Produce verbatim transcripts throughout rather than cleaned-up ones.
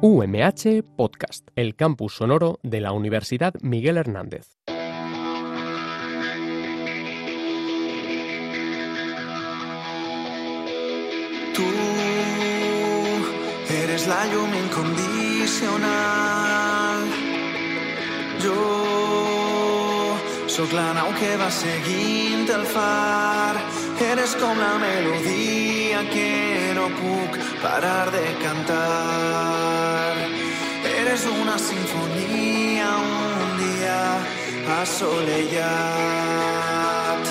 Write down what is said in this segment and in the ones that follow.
U M H Podcast, el campus sonoro de la Universidad Miguel Hernández. Tu eres la llum incondicional. Jo sóc la nau que va seguint el far. Eres com la melodia que no puc parar de cantar. Eres una sinfonia, un dia assolellat.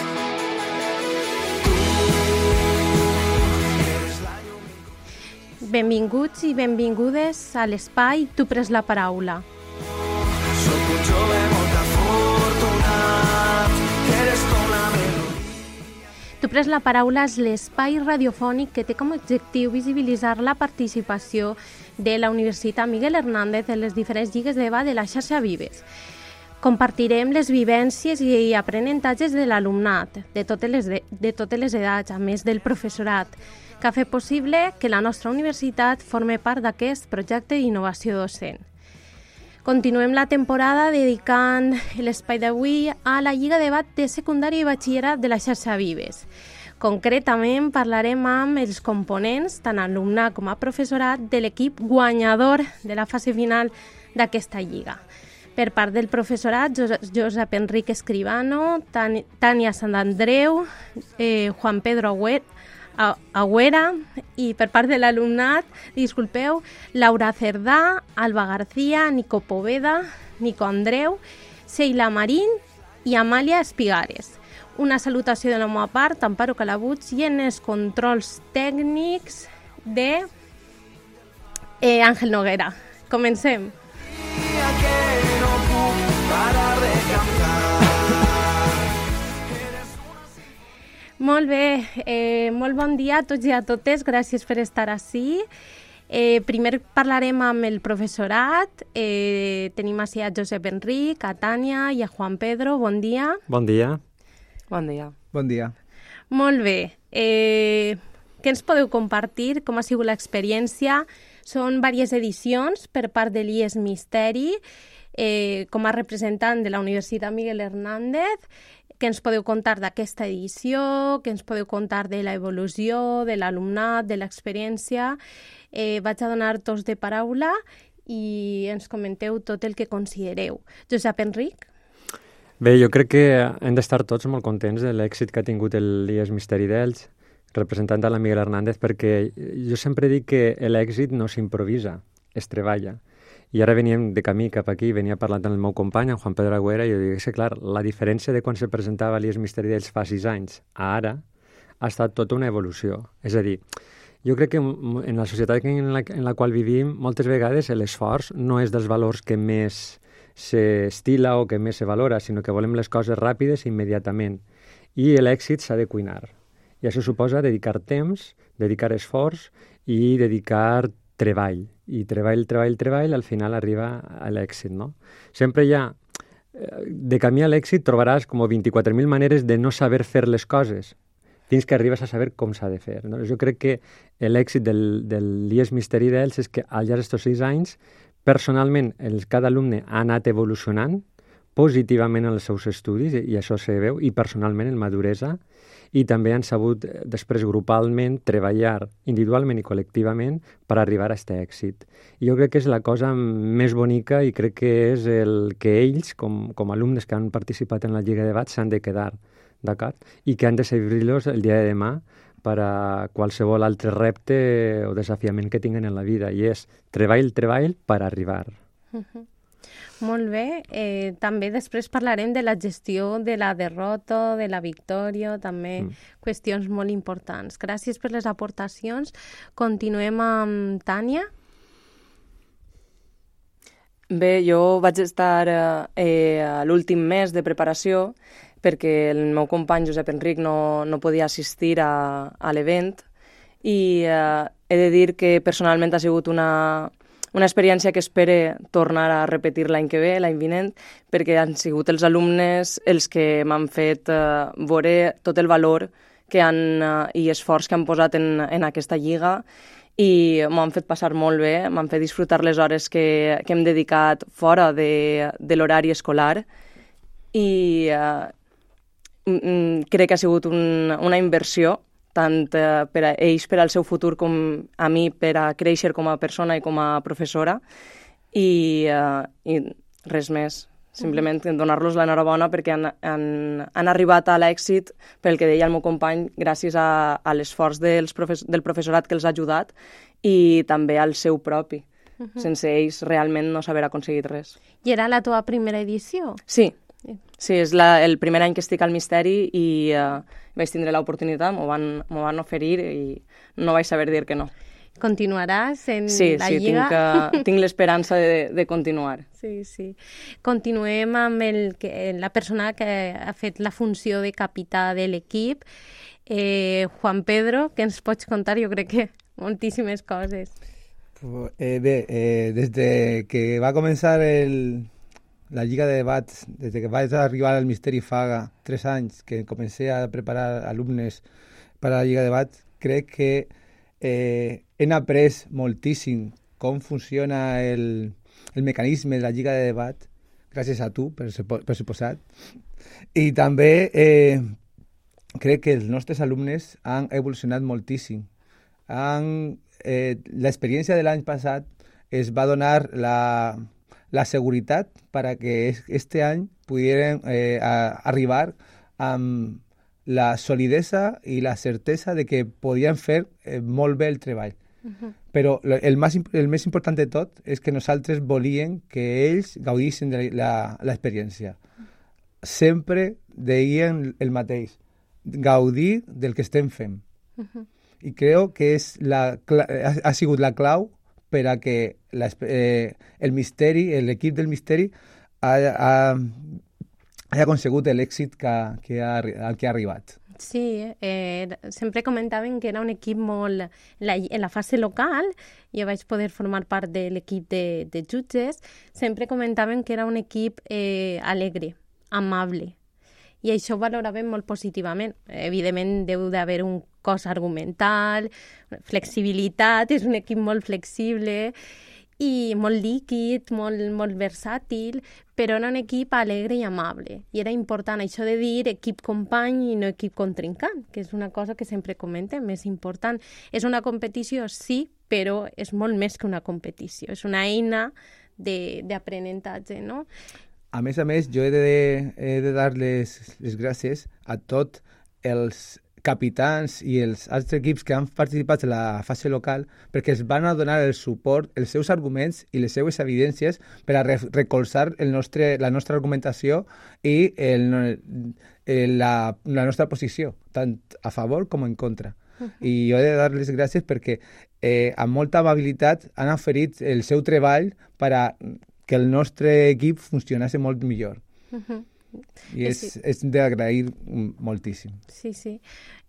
Benvinguts i benvingudes a l'espai Tu pres la paraula. Soc un jove molt afortunat. Eres com la melodia. Tu pres la paraula és l'espai radiofònic que té com a objectiu visibilitzar la participació de la Universitat Miguel Hernández en les diferents lligues de debat de la xarxa Vives. Compartirem les vivències i aprenentatges de l'alumnat, de totes les, de, de totes les edats, a més del professorat, que ha fet possible que la nostra universitat formi part d'aquest projecte d'innovació docent. Continuem la temporada dedicant l'espai d'avui a la Lliga de Debat de Secundària i Batxillerat de la xarxa Vives. Concretament parlarem amb els components, tant alumnat com a professorat, de l'equip guanyador de la fase final d'aquesta lliga. Per part del professorat, Josep Enric Escribano, Tània Santandreu, eh, Juan Pedro Agüera, Agüera, i per part de l'alumnat, disculpeu, Laura Cerdà, Alba García, Nico Poveda, Nico Andreu, Sheila Marín i Amàlia Espigares. Una salutació de la meva part, Amparo Calabuig, i en els controls tècnics de eh, Àngel Noguera. Comencem. Que no puc parar de cantar. Molt bé, eh, molt bon dia a tots i a totes, gràcies per estar ací. Eh, primer parlarem amb el professorat, eh, tenim ací a Josep Enric, a Tània i a Juan Pedro, bon dia. Bon dia. Bon dia. Bon dia. Molt bé, eh, què ens podeu compartir, com ha sigut l'experiència? Són diverses edicions per part de l'I E S Misteri, eh, com a representant de la Universitat Miguel Hernández. Què ens podeu contar d'aquesta edició? Què ens podeu contar de l'evolució, de l'alumnat, de l'experiència? Eh, vaig a donar torns de paraula i ens comenteu tot el que considereu. Josep Enric? Bé, jo crec que hem d'estar tots molt contents de l'èxit que ha tingut l'I E S Misteri d'Elx, representant de la Miguel Hernández, perquè jo sempre dic que l'èxit no s'improvisa, es treballa. I ara veníem de camí cap aquí, venia parlant amb el meu company, en Juan Pedro Agüera, i jo dic que, clar, la diferència de quan se presentava l'I E S Misteri d'Elx fa sis anys a ara ha estat tota una evolució. És a dir, jo crec que en la societat en la, en la qual vivim, moltes vegades l'esforç no és dels valors que més s'estila o que més se valora, sinó que volem les coses ràpides i immediatament. I l'èxit s'ha de cuinar. I això suposa dedicar temps, dedicar esforç i dedicar treball. I treball, treball, treball, al final arriba a l'èxit, no? Sempre hi ha, de camí a l'èxit trobaràs com vint-i-quatre mil maneres de no saber fer les coses, fins que arribes a saber com s'ha de fer, no? Jo crec que l'èxit del, del l'I E S Misteri d'Elx és que al llarg d'aquests sis anys, personalment, el, cada alumne ha anat evolucionant positivament en els seus estudis, i això se veu, i personalment en maduresa, i també han sabut després grupalment treballar individualment i col·lectivament per arribar a aquest èxit. I jo crec que és la cosa més bonica i crec que és el que ells, com, com alumnes que han participat en la Lliga de Debat, s'han de quedar, d'acord? I que han de servir-los el dia de demà per a qualsevol altre repte o desafiament que tinguen en la vida, i és treball, treball per arribar. Uh-huh. Molt bé. Eh, també després parlarem de la gestió de la derrota, de la victòria, també mm. qüestions molt importants. Gràcies per les aportacions. Continuem amb Tània. Bé, jo vaig estar eh, a l'últim mes de preparació perquè el meu company Josep Enric no, no podia assistir a, a l'event i eh, he de dir que personalment ha sigut una... Una experiència que espero tornar a repetir l'any que ve, l'any vinent, perquè han sigut els alumnes els que m'han fet eh, veure tot el valor que han, uh, i esforç que han posat en, en aquesta lliga, i m'han fet passar molt bé, m'han fet disfrutar les hores que, que hem dedicat fora de, de l'horari escolar, i uh, crec que ha sigut un, una inversió tant uh, per a ells, per al seu futur, com a mi, per a créixer com a persona i com a professora, i, uh, i res més. Simplement donar-los l'enhorabona perquè han, han, han arribat a l'èxit, pel que deia el meu company, gràcies a, a l'esforç dels profes, del professorat que els ha ajudat i també al seu propi. Uh -huh. Sense ells realment no s'haver aconseguit res. I era la teva primera edició? Sí, sí, és la, el primer any que estic al Misteri i uh, vaig tindre l'oportunitat, m'ho van, m'ho van oferir i no vaig saber dir que no. Continuaràs en sí, la sí, Lliga? Sí, tinc, tinc l'esperança de, de continuar. Sí, sí. Continuem amb el que, la persona que ha fet la funció de capità de l'equip, eh, Juan Pedro, que ens pots contar, jo crec que moltíssimes coses. Eh, bé, eh, des de que va començar el, la Lliga de Debats, des de que vaig arribar al Misteri fa tres anys, que comencé a preparar alumnes per a la Lliga de Debats, crec que eh, hem après moltíssim com funciona el, el mecanisme de la Lliga de Debat, gràcies a tu, per, per suposat. I també eh, crec que els nostres alumnes han evolucionat moltíssim. Han, eh, l'experiència de l'any passat es va donar la, la seguretat per a que este any pudieran eh, a, arribar amb la solidesa i la certesa de que podien fer eh, molt bé el treball. Uh-huh. Però el, més, el més important de tot és que nosaltres volíem que ells gaudissin de l'experiència. Sempre deien el mateix, gaudir del que estem fent. Uh-huh. I crec que és la, ha, ha sigut la clau per a que la, eh, el Misteri, l'equip del Misteri ha, ha, ha aconsegut l'èxit que, que ha, al que ha arribat. Sí, eh, sempre comentaven que era un equip molt... La, en la fase local, jo vaig poder formar part de l'equip de, de jutges, sempre comentaven que era un equip eh, alegre, amable, i això ho valoraven molt positivament. Evidentment, deu d'haver un cos argumental, flexibilitat, és un equip molt flexible i molt líquid, molt, molt versàtil, però era un equip alegre i amable. I era important això de dir equip company i no equip contrincant, que és una cosa que sempre comentem, és important. És una competició, sí, però és molt més que una competició. És una eina d'aprenentatge, no? A més a més, jo he de, he de dar les, les gràcies a tots els capitans i els altres equips que han participat en la fase local perquè es van a donar el suport, els seus arguments i les seues evidències per a re recolzar el nostre, la nostra argumentació i el, el, la, la nostra posició, tant a favor com en contra. Uh-huh. I jo he de dar les gràcies perquè eh, amb molta amabilitat han oferit el seu treball per a que el nostre equip funcionasse molt millor. Uh-huh. I és, sí. és d'agrair moltíssim. Sí, sí.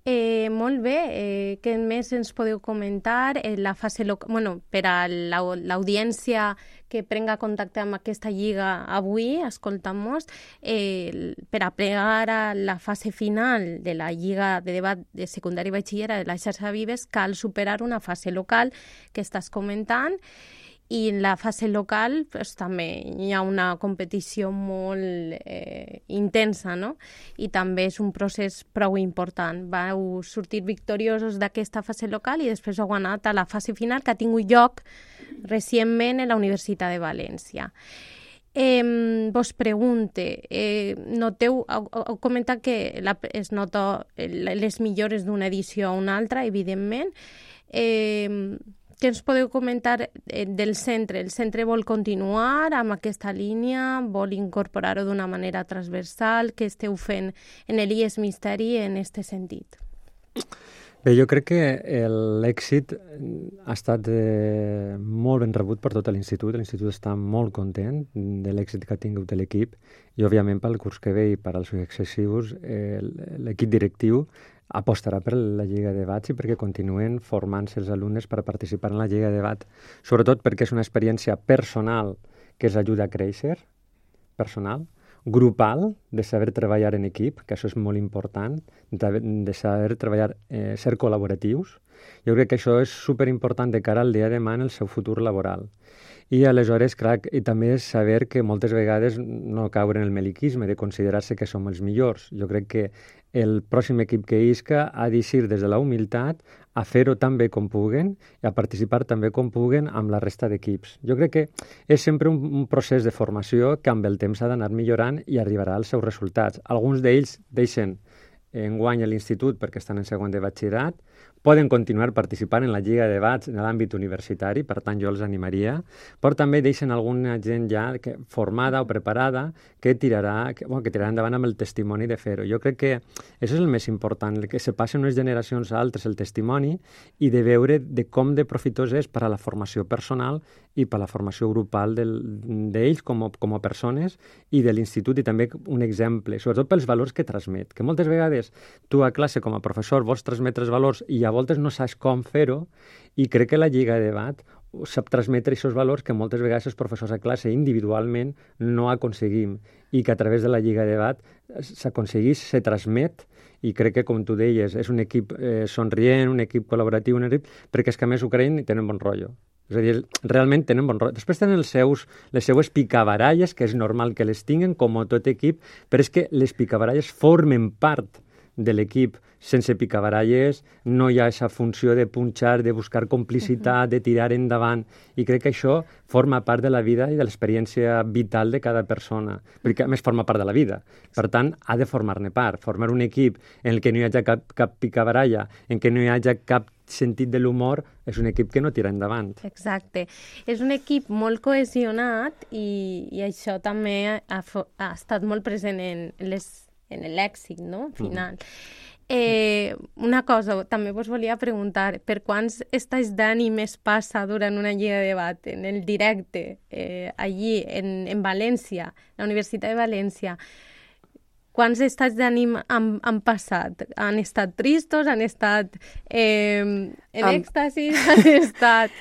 Eh, molt bé. Eh, què més ens podeu comentar? Eh, la fase local, bueno, per a l'audiència que prenga contacte amb aquesta lliga avui, escoltamos, eh, per a plegar a la fase final de la lliga de debat de secundària i batxillera de la xarxa Vives, cal superar una fase local que estàs comentant. I en la fase local pues, també hi ha una competició molt eh, intensa, no? I també és un procés prou important. Vau sortir victoriosos d'aquesta fase local i després heu anat a la fase final que ha tingut lloc recentment a la Universitat de València. Eh, vos pregunte, eh, noteu, heu, heu comentat que la, es nota les millores d'una edició a una altra, evidentment. Eh, Què ens podeu comentar del centre? El centre vol continuar amb aquesta línia? Vol incorporar-ho d'una manera transversal? Què esteu fent en l'I E S Misteri en aquest sentit? Bé, jo crec que l'èxit ha estat eh, molt ben rebut per tot l'institut. L'institut està molt content de l'èxit que ha tingut l'equip i, òbviament, pel curs que ve i per als successius, eh, l'equip directiu apostarà per la Lliga de Debats i perquè continuen formant-se els alumnes per participar en la Lliga de Debat, sobretot perquè és una experiència personal que els ajuda a créixer, personal, grupal, de saber treballar en equip, que això és molt important, de, de saber treballar, eh, ser col·laboratius. Jo crec que això és superimportant de cara al dia de demà en el seu futur laboral. I aleshores, clar, i també saber que moltes vegades no caure en el meliquisme, de considerar-se que som els millors. Jo crec que el pròxim equip que isca ha d'eixir des de la humilitat a fer-ho tan bé com puguen i a participar tan bé com puguen amb la resta d'equips. Jo crec que és sempre un, un procés de formació que amb el temps ha d'anar millorant i arribarà als seus resultats. Alguns d'ells deixen enguany a l'institut perquè estan en segon de batxillerat, poden continuar participant en la Lliga de Debats en l'àmbit universitari, per tant jo els animaria, però també deixen alguna gent ja que, formada o preparada que tirarà, que, bueno, que tirarà endavant amb el testimoni de fer-ho. Jo crec que això és el més important, que se passen unes generacions a altres el testimoni i de veure de com de profitós és per a la formació personal i per a la formació grupal d'ells com, a, com a persones i de l'institut, i també un exemple, sobretot pels valors que transmet, que moltes vegades tu a classe com a professor vols transmetre els valors i a voltes no saps com fer-ho, i crec que la Lliga de Debat sap transmetre aquests valors que moltes vegades els professors a classe individualment no aconseguim, i que a través de la Lliga de Debat s'aconseguís, se transmet, i crec que, com tu deies, és un equip eh, somrient, un equip col·laboratiu, un equip, perquè és que a més ho creien i tenen bon rotllo. És a dir, realment tenen bon rotllo. Després tenen els seus, les seues picabaralles, que és normal que les tinguen, com a tot equip, però és que les picabaralles formen part de l'equip. Sense picabaralles no hi ha aquesta funció de punxar, de buscar complicitat, de tirar endavant, i crec que això forma part de la vida i de l'experiència vital de cada persona, perquè a més forma part de la vida. Per tant, ha de formar-ne part. Formar un equip en el que no hi hagi cap, cap picabaralla, en què no hi hagi cap sentit de l'humor, és un equip que no tira endavant. Exacte. És un equip molt cohesionat i, i això també ha, ha estat molt present en les en l'èxit, no? Final. Mm. Eh, una cosa, també vos volia preguntar, per quants estats d'ànim es passa durant una lliga de debat en el directe, eh, allí, en, en València, la Universitat de València? Quants estats d'ànim han, han passat? Han estat tristos? Han estat eh, en Am... èxtasis? Han estat...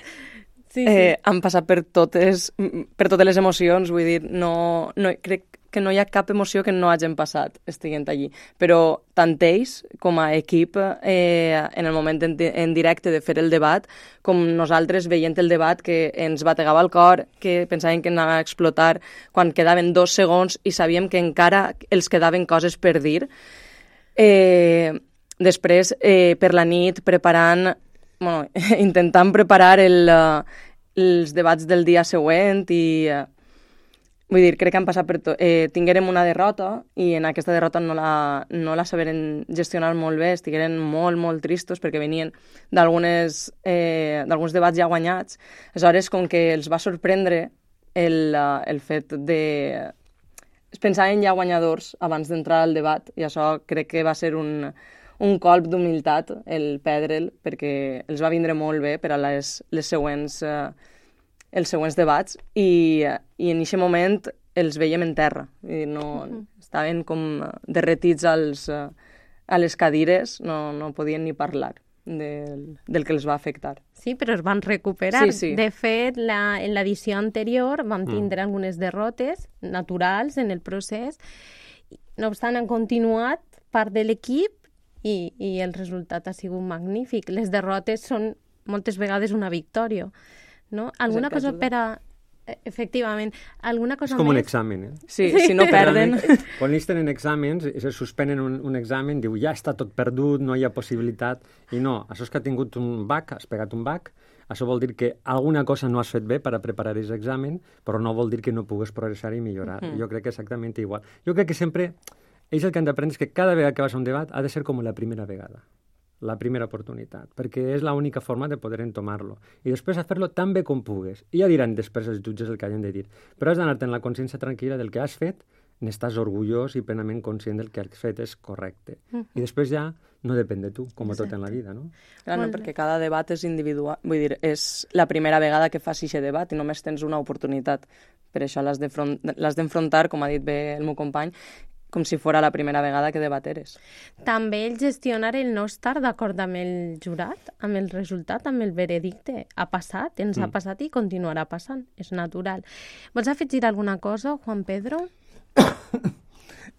Sí, sí. Eh, han passat per totes, per totes les emocions, vull dir, no, no, crec que no hi ha cap emoció que no hagin passat estiguent allí. Però tant ells com a equip, eh, en el moment en, en directe de fer el debat, com nosaltres veient el debat, que ens bategava el cor, que pensàvem que anava a explotar quan quedaven dos segons i sabíem que encara els quedaven coses per dir. Eh, després, eh, per la nit, preparant, bueno, intentant preparar el, uh, els debats del dia següent i... Uh, Vull dir, crec que han passat per tot. Eh, tinguérem una derrota i en aquesta derrota no la, no la saberen gestionar molt bé, estigueren molt, molt tristos perquè venien d'algunes eh, d'alguns debats ja guanyats. Aleshores, com que els va sorprendre el, uh, el fet de... Es pensaven ja guanyadors abans d'entrar al debat i això crec que va ser un, un colp d'humilitat el perdre'l, perquè els va vindre molt bé per a les, les següents... Uh, els següents debats, i, i en aquest moment els veiem en terra. I no, uh-huh. Estaven com derretits als, a les cadires, no, no podien ni parlar del, del que els va afectar. Sí, però es van recuperar. Sí, sí. De fet, la, en l'edició anterior van tindre mm. algunes derrotes naturals en el procés. No obstant, han continuat part de l'equip i, i el resultat ha sigut magnífic. Les derrotes són moltes vegades una victòria. No? Alguna cosa per a... Efectivament, alguna cosa més... És com més... un examen, eh? Sí, sí. Si no perden... Quan ells tenen exàmens i se suspenen un, un examen, diu, ja està tot perdut, no hi ha possibilitat. I no, això és que ha tingut un bac, has pegat un bac, això vol dir que alguna cosa no has fet bé per a preparar aquest examen, però no vol dir que no pugues progressar i millorar. Mm. Jo crec que exactament igual. Jo crec que sempre... Ells el que han d'aprendre és que cada vegada que vas a un debat ha de ser com la primera vegada. La primera oportunitat, perquè és l'única forma de poder entomar-lo. I després a fer-lo tan bé com pugues. I ja diran després els jutges el que hagin de dir. Però has d'anar-te en la consciència tranquil·la del que has fet, n'estàs orgullós i plenament conscient del que has fet és correcte. Uh-huh. I després ja no depèn de tu, com a tot en la vida, no? Clar, no, perquè cada debat és individual. Vull dir, és la primera vegada que fas aquest debat i només tens una oportunitat. Per això l'has d'enfrontar, com ha dit bé el meu company, com si fos la primera vegada que debateres. També el gestionar el no estar d'acord amb el jurat, amb el resultat, amb el veredicte. Ha passat, ens mm. ha passat i continuarà passant. És natural. Vols afegir alguna cosa, Juan Pedro?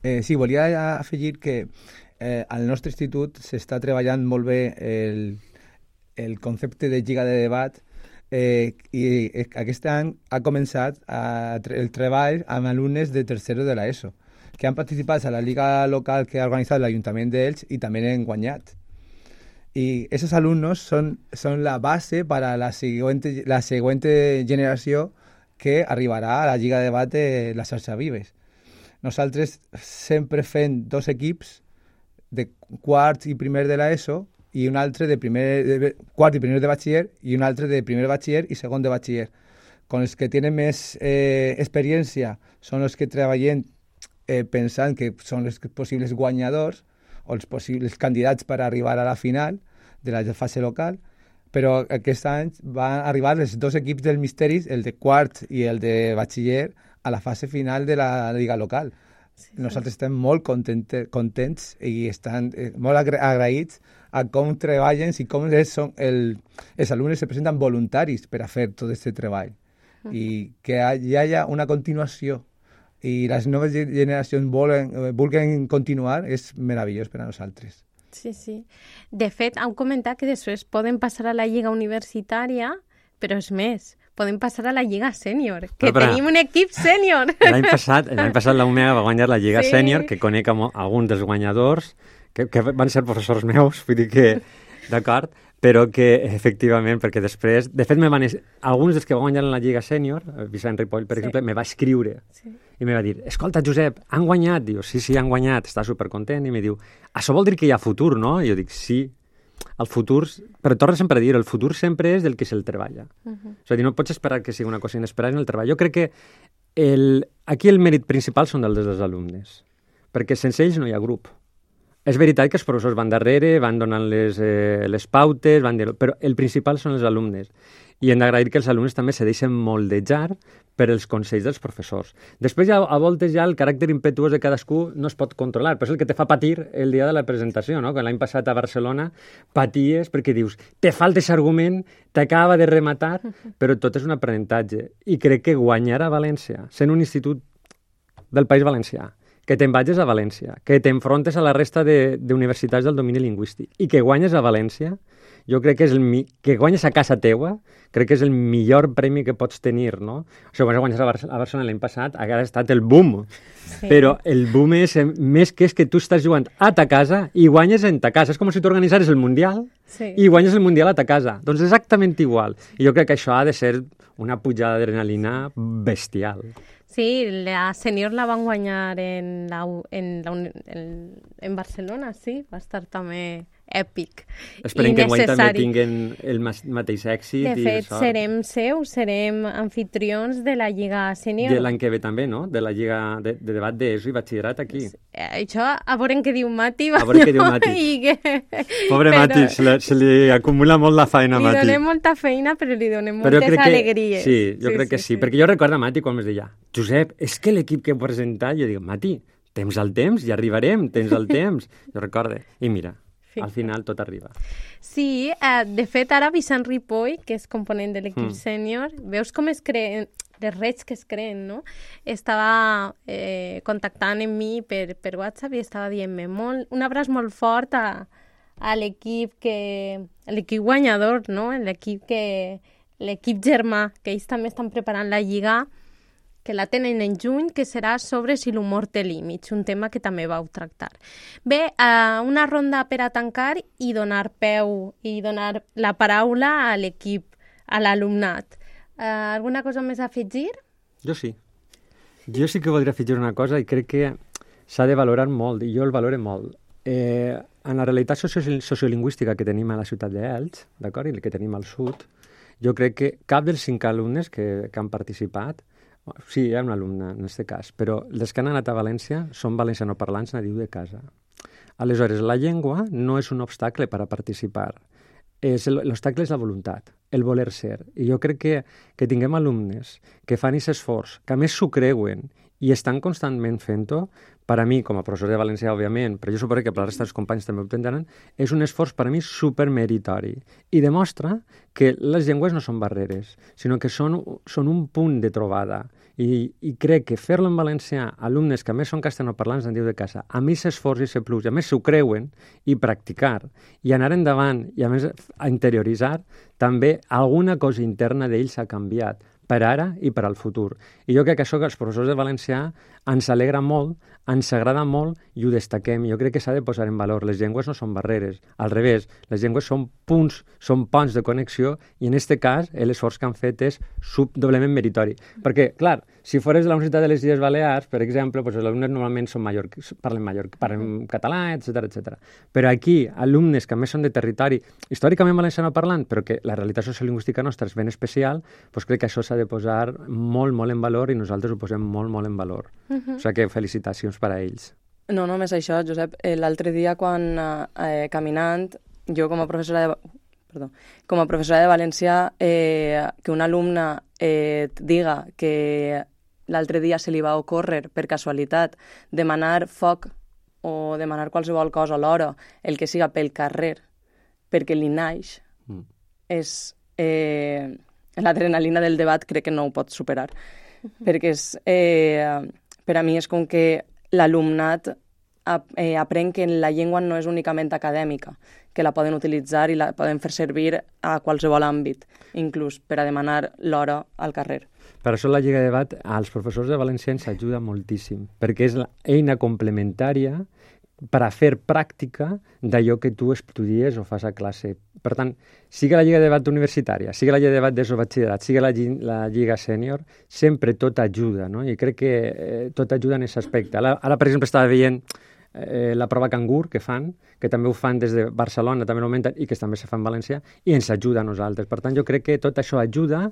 eh, sí, volia afegir que eh, al nostre institut s'està treballant molt bé el, el concepte de lliga de debat eh, i aquest any ha començat a, el treball amb alumnes de tercero de l'ESO que han participat a la lliga local que ha organitzat l'Ajuntament d'Elx i també n'han guanyat. Y esos alumnos son, son la base para la siguiente, la siguiente generació que arribarà a la Lliga de Debat de la xarxa Vives. Nosaltres sempre fem dos equips de quart i primer de l'ESO i un altre de, primer, de quart i primer de batxiller i un altre de primer batxiller i segon de batxiller. Con els que tenen més eh, experiència són els que treballen eh, pensant que són els possibles guanyadors o els possibles candidats per arribar a la final de la fase local, però aquest any van arribar els dos equips del Misteris, el de quart i el de batxiller, a la fase final de la lliga local. Sí, sí. Nosaltres estem molt contents, contents i estan eh, molt agra agraïts a com treballen i com és, són el, els alumnes se presenten voluntaris per a fer tot aquest treball. Uh -huh. I que hi hagi una continuació i les noves generacions volen, vulguin continuar, és meravellós per a nosaltres. Sí, sí. De fet, heu comentat que després poden passar a la lliga universitària, però és més, poden passar a la lliga sènior, que però, tenim un equip sènior. L'any passat, l'any passat la U M E A va guanyar la lliga sí. sènior, que conec alguns dels guanyadors, que, que van ser professors meus, vull dir que, d'acord, però que efectivament, perquè després, de fet, me van, alguns dels que van guanyar en la Lliga Sènior, Vicent Ripoll, per sí. exemple, me va escriure sí. i me va dir, escolta, Josep, han guanyat? Diu, sí, sí, han guanyat, està supercontent, i me diu, això vol dir que hi ha futur, no? I jo dic, sí, el futur, però torno sempre a dir, el futur sempre és del que se'l treballa. Uh -huh. És a dir, no pots esperar que sigui una cosa inesperada en el treball. Jo crec que el, aquí el mèrit principal són dels dels alumnes, perquè sense ells no hi ha grup. És veritat que els professors van darrere, van donant les, eh, les pautes, van dir, però el principal són els alumnes. I hem d'agrair que els alumnes també se deixen moldejar per els consells dels professors. Després, ja, a voltes, ja el caràcter impetuós de cadascú no es pot controlar, però és el que te fa patir el dia de la presentació, no? Quan l'any passat a Barcelona paties perquè dius, te falta aquest argument, t'acaba de rematar, però tot és un aprenentatge. I crec que guanyar a València, sent un institut del País Valencià, que te'n vagis a València, que t'enfrontes a la resta d'universitats de, del domini lingüístic i que guanyes a València, jo crec que és el mi... que guanyes a casa teua, crec que és el millor premi que pots tenir, no? O sigui, quan guanyes a, Bar a Barcelona l'any passat, ha estat el boom. Sí. Però el boom és més que és que tu estàs jugant a ta casa i guanyes en ta casa. És com si tu organitzares el Mundial sí. i guanyes el Mundial a ta casa. Doncs exactament igual. I jo crec que això ha de ser una pujada d'adrenalina bestial. Sí, la sènior la van guanyar en, la, en, la, en, en Barcelona, sí, va estar també èpic. Esperem que guany també tinguen el mateix èxit. De fet, i serem seus, serem anfitrions de la Lliga Sènior. De l'any que ve també, no? De la Lliga de, de debat d'ESO i batxillerat aquí. Això, a veure què diu Mati. A veure què diu Mati. Que... Pobre però... Mati, se li, se li acumula molt la feina, Mati. Li donem molta feina, però li donem però moltes alegries. Que, sí, jo sí, crec sí, que sí, sí, perquè jo recordo a Mati quan ens deia, Josep, és que l'equip que he presentat, jo dic, Mati, tens el temps, ja arribarem, tens el temps. Jo recordo. I mira, al final tot arriba. Sí, eh, de fet, ara Vicent Ripoll, que és component de l'equip mm. sènior, veus com es creen, les redes que es creen, no? Estava eh, contactant amb mi per, per WhatsApp i estava dient-me molt, un abraç molt fort a, a l'equip que l'equip guanyador, no? L'equip que l'equip germà, que ells també estan preparant la Lliga, que la tenen en juny, que serà sobre si l'humor té límits, un tema que també vau tractar. Bé, uh, una ronda per a tancar i donar peu i donar la paraula a l'equip, a l'alumnat. Uh, alguna cosa més a afegir? Jo sí. Jo sí que voldria afegir una cosa i crec que s'ha de valorar molt, i jo el valoro molt. Eh, en la realitat socio sociolingüística que tenim a la ciutat d'Elx, d'acord, i que tenim al sud, jo crec que cap dels cinc alumnes que, que han participat, sí, hi ha un alumne en aquest cas, però els que han anat a València són valencianoparlants nadius de casa. Aleshores, la llengua no és un obstacle per a participar. L'obstacle és la voluntat, el voler ser. I jo crec que, que tinguem alumnes que fan aquest esforç, que a més s'ho creuen i estan constantment fent-ho. Per a mi, com a professor de valencià, òbviament, però jo suposo que per la resta dels companys també ho entendran, és un esforç per a mi supermeritori i demostra que les llengües no són barreres, sinó que són, són un punt de trobada. I, i crec que fer-lo en valencià, alumnes que a més són castellanoparlants, en diu de casa, a més s'esforç i se plus, i a més s'ho creuen, i practicar, i anar endavant, i a més a interioritzar, també alguna cosa interna d'ells ha canviat, per ara i per al futur. I jo crec que això que els professors de valencià ens alegra molt, ens agrada molt i ho destaquem. Jo crec que s'ha de posar en valor. Les llengües no són barreres, al revés, les llengües són punts, són ponts de connexió i en aquest cas l'esforç que han fet és doblement meritori. Perquè, clar, si fores de la Universitat de les Illes Balears, per exemple, doncs els alumnes normalment són mallorc, parlen mallorc, parlen català, etcètera, etcètera. Però aquí, alumnes que a més són de territori històricament valenciano parlant, però que la realitat sociolingüística nostra és ben especial, doncs crec que això s'ha de posar molt, molt en valor i nosaltres ho posem molt, molt en valor. Uh-huh. O sigui que felicitacions per a ells. No, només això, Josep. L'altre dia, quan eh, caminant, jo com a professora de, perdó, com a professora de valencià, eh, que un alumne eh, et diga que l'altre dia se li va ocórrer, per casualitat, demanar foc o demanar qualsevol cosa a l'hora, el que siga pel carrer, perquè li naix, mm. és... Eh, l'adrenalina del debat crec que no ho pot superar. Uh-huh. Perquè és, eh, per a mi és com que l'alumnat ap eh, aprèn que la llengua no és únicament acadèmica, que la poden utilitzar i la poden fer servir a qualsevol àmbit, inclús per a demanar l'hora al carrer. Per això la Lliga de Debat als professors de valencià ens ajuda moltíssim, perquè és l'eina complementària per a fer pràctica d'allò que tu estudies o fas a classe. Per tant, sigui la Lliga de Debat universitària, sigui la Lliga de Debat de batxillerat, sigui la, la Lliga sènior, sempre tot ajuda, no? I crec que eh, tot ajuda en aquest aspecte. Ara, ara, per exemple, estava veient eh, la prova Cangur que fan, que també ho fan des de Barcelona, també l'augmenten, i que també se fa en València, i ens ajuda a nosaltres. Per tant, jo crec que tot això ajuda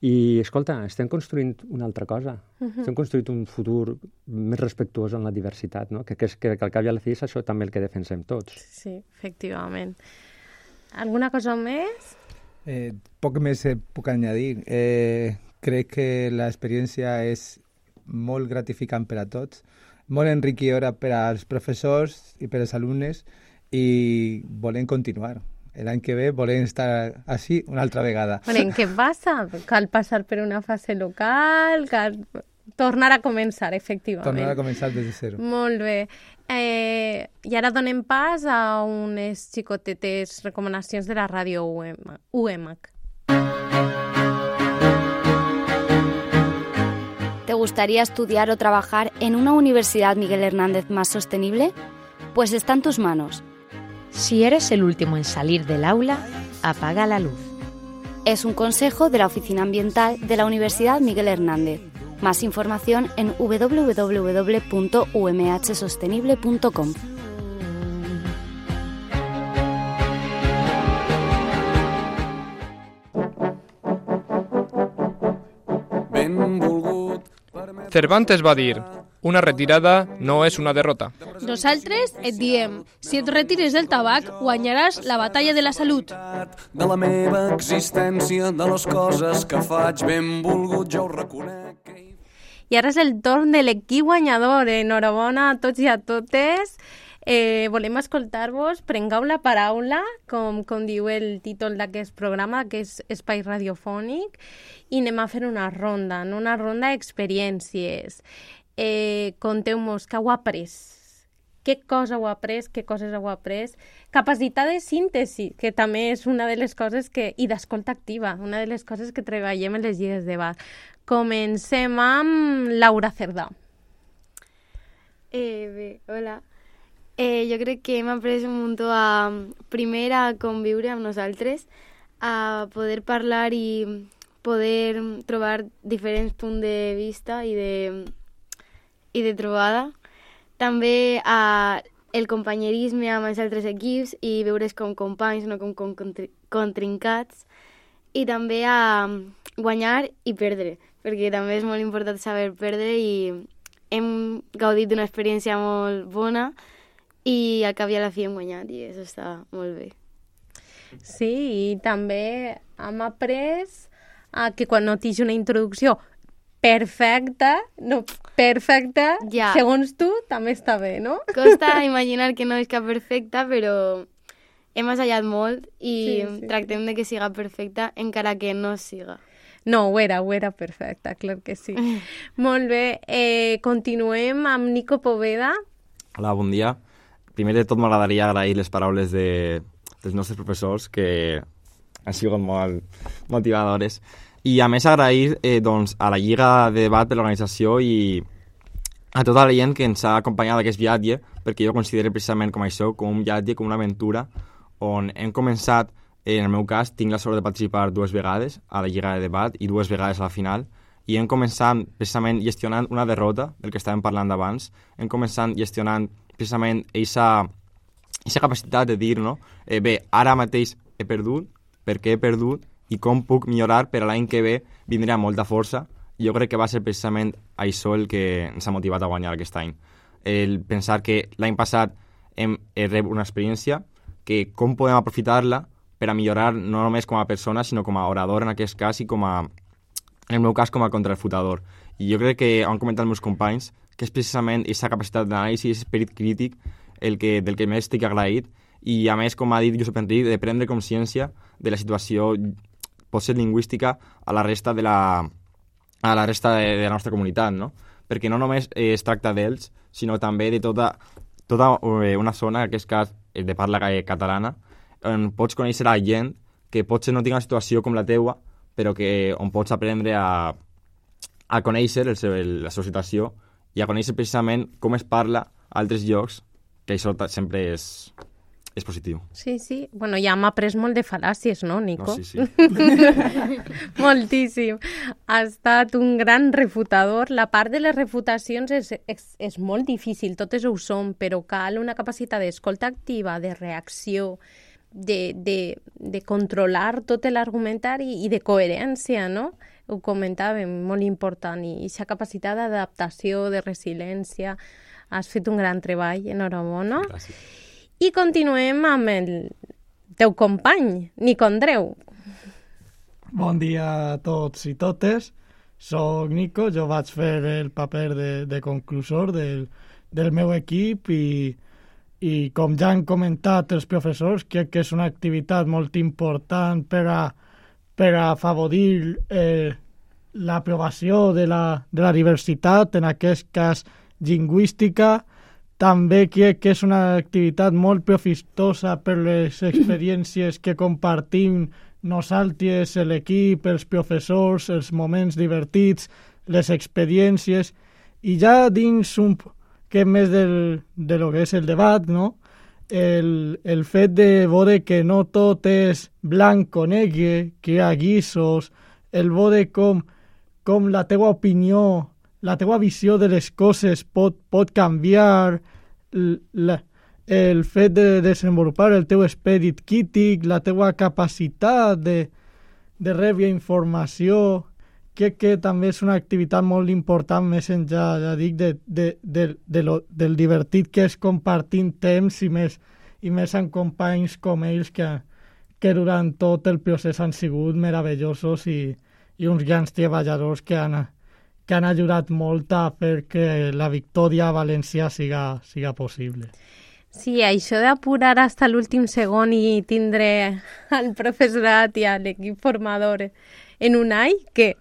i, escolta, estem construint una altra cosa. Uh-huh. Estem construint un futur més respectuós en la diversitat, no? Que, que, que, que al cap i a la fi és això també el que defensem tots. Sí, efectivament. ¿Alguna cosa més? Eh, poc més eh, puc añadir. Eh, crec que l'experiència és molt gratificant per a tots, molt enriquidora per als professors i per als alumnes i volem continuar. L'any que ve volem estar així una altra vegada. Bueno, què passa? Cal passar per una fase local, cal tornar a començar, efectivament. Tornar a començar des de zero. Molt bé. Eh, I ara donem pas a unes xicotetes recomanacions de la ràdio U M A C. ¿Te gustaría estudiar o trabajar en una Universidad Miguel Hernández más sostenible? Pues está en tus manos. Si eres el último en salir del aula, apaga la luz. Es un consejo de la Oficina Ambiental de la Universidad Miguel Hernández. Más información en w w w punto u m h sostenible punto com. Cervantes va dir: una retirada no és una derrota. Nosaltres et diem, si et retires del tabac, guanyaràs la batalla de la salut. De la meva existència, de les coses que faig, benvolgut, jo ho reconec. I ara és el torn de l'equip guanyador. Enhorabona a tots i a totes. Eh, volem escoltar-vos, prengueu la paraula, com, com diu el títol d'aquest programa, que és Espai Radiofònic, i anem a fer una ronda, no? Una ronda d'experiències. Eh, conteu-nos què heu après, què cosa heu après, què coses heu après, capacitat de síntesi, que també és una de les coses que, i d'escolta activa, una de les coses que treballem en les lligues de debat. Comencem amb Laura Cerdà. Eh, bé, hola. Eh, jo crec que hem après un muntó a, primer a conviure amb nosaltres, a poder parlar i poder trobar diferents punts de vista i de, i de trobada. També a el companyerisme amb els altres equips i veure's com companys, no com, com contrincats. I també a guanyar i perdre, perquè també és molt important saber perdre i hem gaudit d'una experiència molt bona i al cap i a la fi hem guanyat i això està molt bé. Sí, i també hem après a que quan no tens una introducció perfecta, no, perfecta, Ja. segons tu, també està bé, no? Costa imaginar que no és cap perfecta, però hem assajat molt i Sí, sí. tractem de que siga perfecta, encara que no siga. No, ho era, ho era perfecta, clar que sí. Molt bé, eh, continuem amb Nico Poveda. Hola, bon dia. Primer de tot m'agradaria agrair les paraules de, dels nostres professors, que han sigut molt motivadores. I a més agrair eh, doncs, a la Lliga de Debat per l'organització i a tota la gent que ens ha acompanyat aquest viatge, perquè jo considero precisament com això, com un viatge, com una aventura, on hem començat, en el meu cas, tinc la sort de participar dues vegades a la Lliga de Debat i dues vegades a la final, i hem començat precisament gestionant una derrota, del que estàvem parlant abans, hem començat gestionant precisament aquesta capacitat de dir, no? Eh, bé, ara mateix he perdut, per què he perdut, i com puc millorar per a l'any que ve vindré amb molta força. I jo crec que va ser precisament això el que ens ha motivat a guanyar aquest any. El pensar que l'any passat hem rebut una experiència, que com podem aprofitar-la per a millorar no només com a persona, sinó com a orador en aquest cas i com a, en el meu cas, com a contrarefutador. I jo crec que han comentat els meus companys que és precisament aquesta capacitat d'anàlisi, aquest esperit crític el que, del que més estic agraït, i a més, com ha dit Josep Enric, de prendre consciència de la situació potser lingüística a la resta de la, a la, resta de, de la nostra comunitat, no? Perquè no només eh, es tracta d'ells, sinó també de tota, tota eh, una zona, en aquest cas eh, de parla catalana, on pots conèixer a gent que potser no tingui una situació com la teua, però que on pots aprendre a, a conèixer el seu, el, la seva situació i a conèixer precisament com es parla a altres llocs, que això sempre és, és positiu. Sí, sí. Bueno, ja hem après molt de fal·làcies, no, Nico? No, sí, sí. Moltíssim. Ha estat un gran refutador. La part de les refutacions és, és, és molt difícil, totes ho són, però cal una capacitat d'escolta activa, de reacció, de, de, de controlar tot l'argumentari i de coherència, no? Ho comentàvem, molt important. I aquesta capacitat d'adaptació, de resiliència. Has fet un gran treball, enhorabona. Gràcies. I continuem amb el teu company, Nico Andreu. Bon dia a tots i totes. Soc Nico, jo vaig fer el paper de, de conclusor del, del meu equip i, i com ja han comentat els professors, crec que és una activitat molt important per a, per a afavorir eh, l'aprovació de la, de la diversitat, en aquest cas lingüística. També crec que és una activitat molt profitosa per les experiències que compartim nosaltres, l'equip, els professors, els moments divertits, les experiències, i ja dins un que més del, de lo que és el debat, no? el, el fet de veure que no tot és blanc o negre, que hi ha guissos, el veure com, com la teua opinió, la teua visió de les coses pot, pot canviar, la, el fet de desenvolupar el teu esperit crític, la teua capacitat de, de rebre informació, crec que també és una activitat molt important, més enllà, ja dic, de, de, de, de lo, del divertit que és compartint temps i més, i més amb companys com ells que, que durant tot el procés han sigut meravellosos i, i uns grans treballadors que han que han ajudat molt a fer que la victòria a València siga, siga possible. Sí, això d'apurar fins a l'últim segon i tindre al professorat i a l'equip formador en un any, què?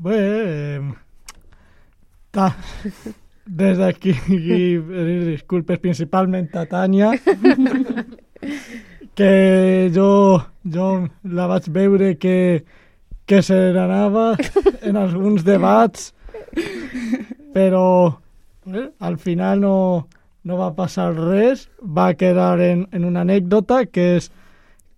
Bé, eh, ta, des d'aquí pedir disculpes principalment a Tània, que jo, jo la vaig veure que que se n'anava en alguns debats, però eh, al final no, no va passar res, va quedar en, en una anècdota que és,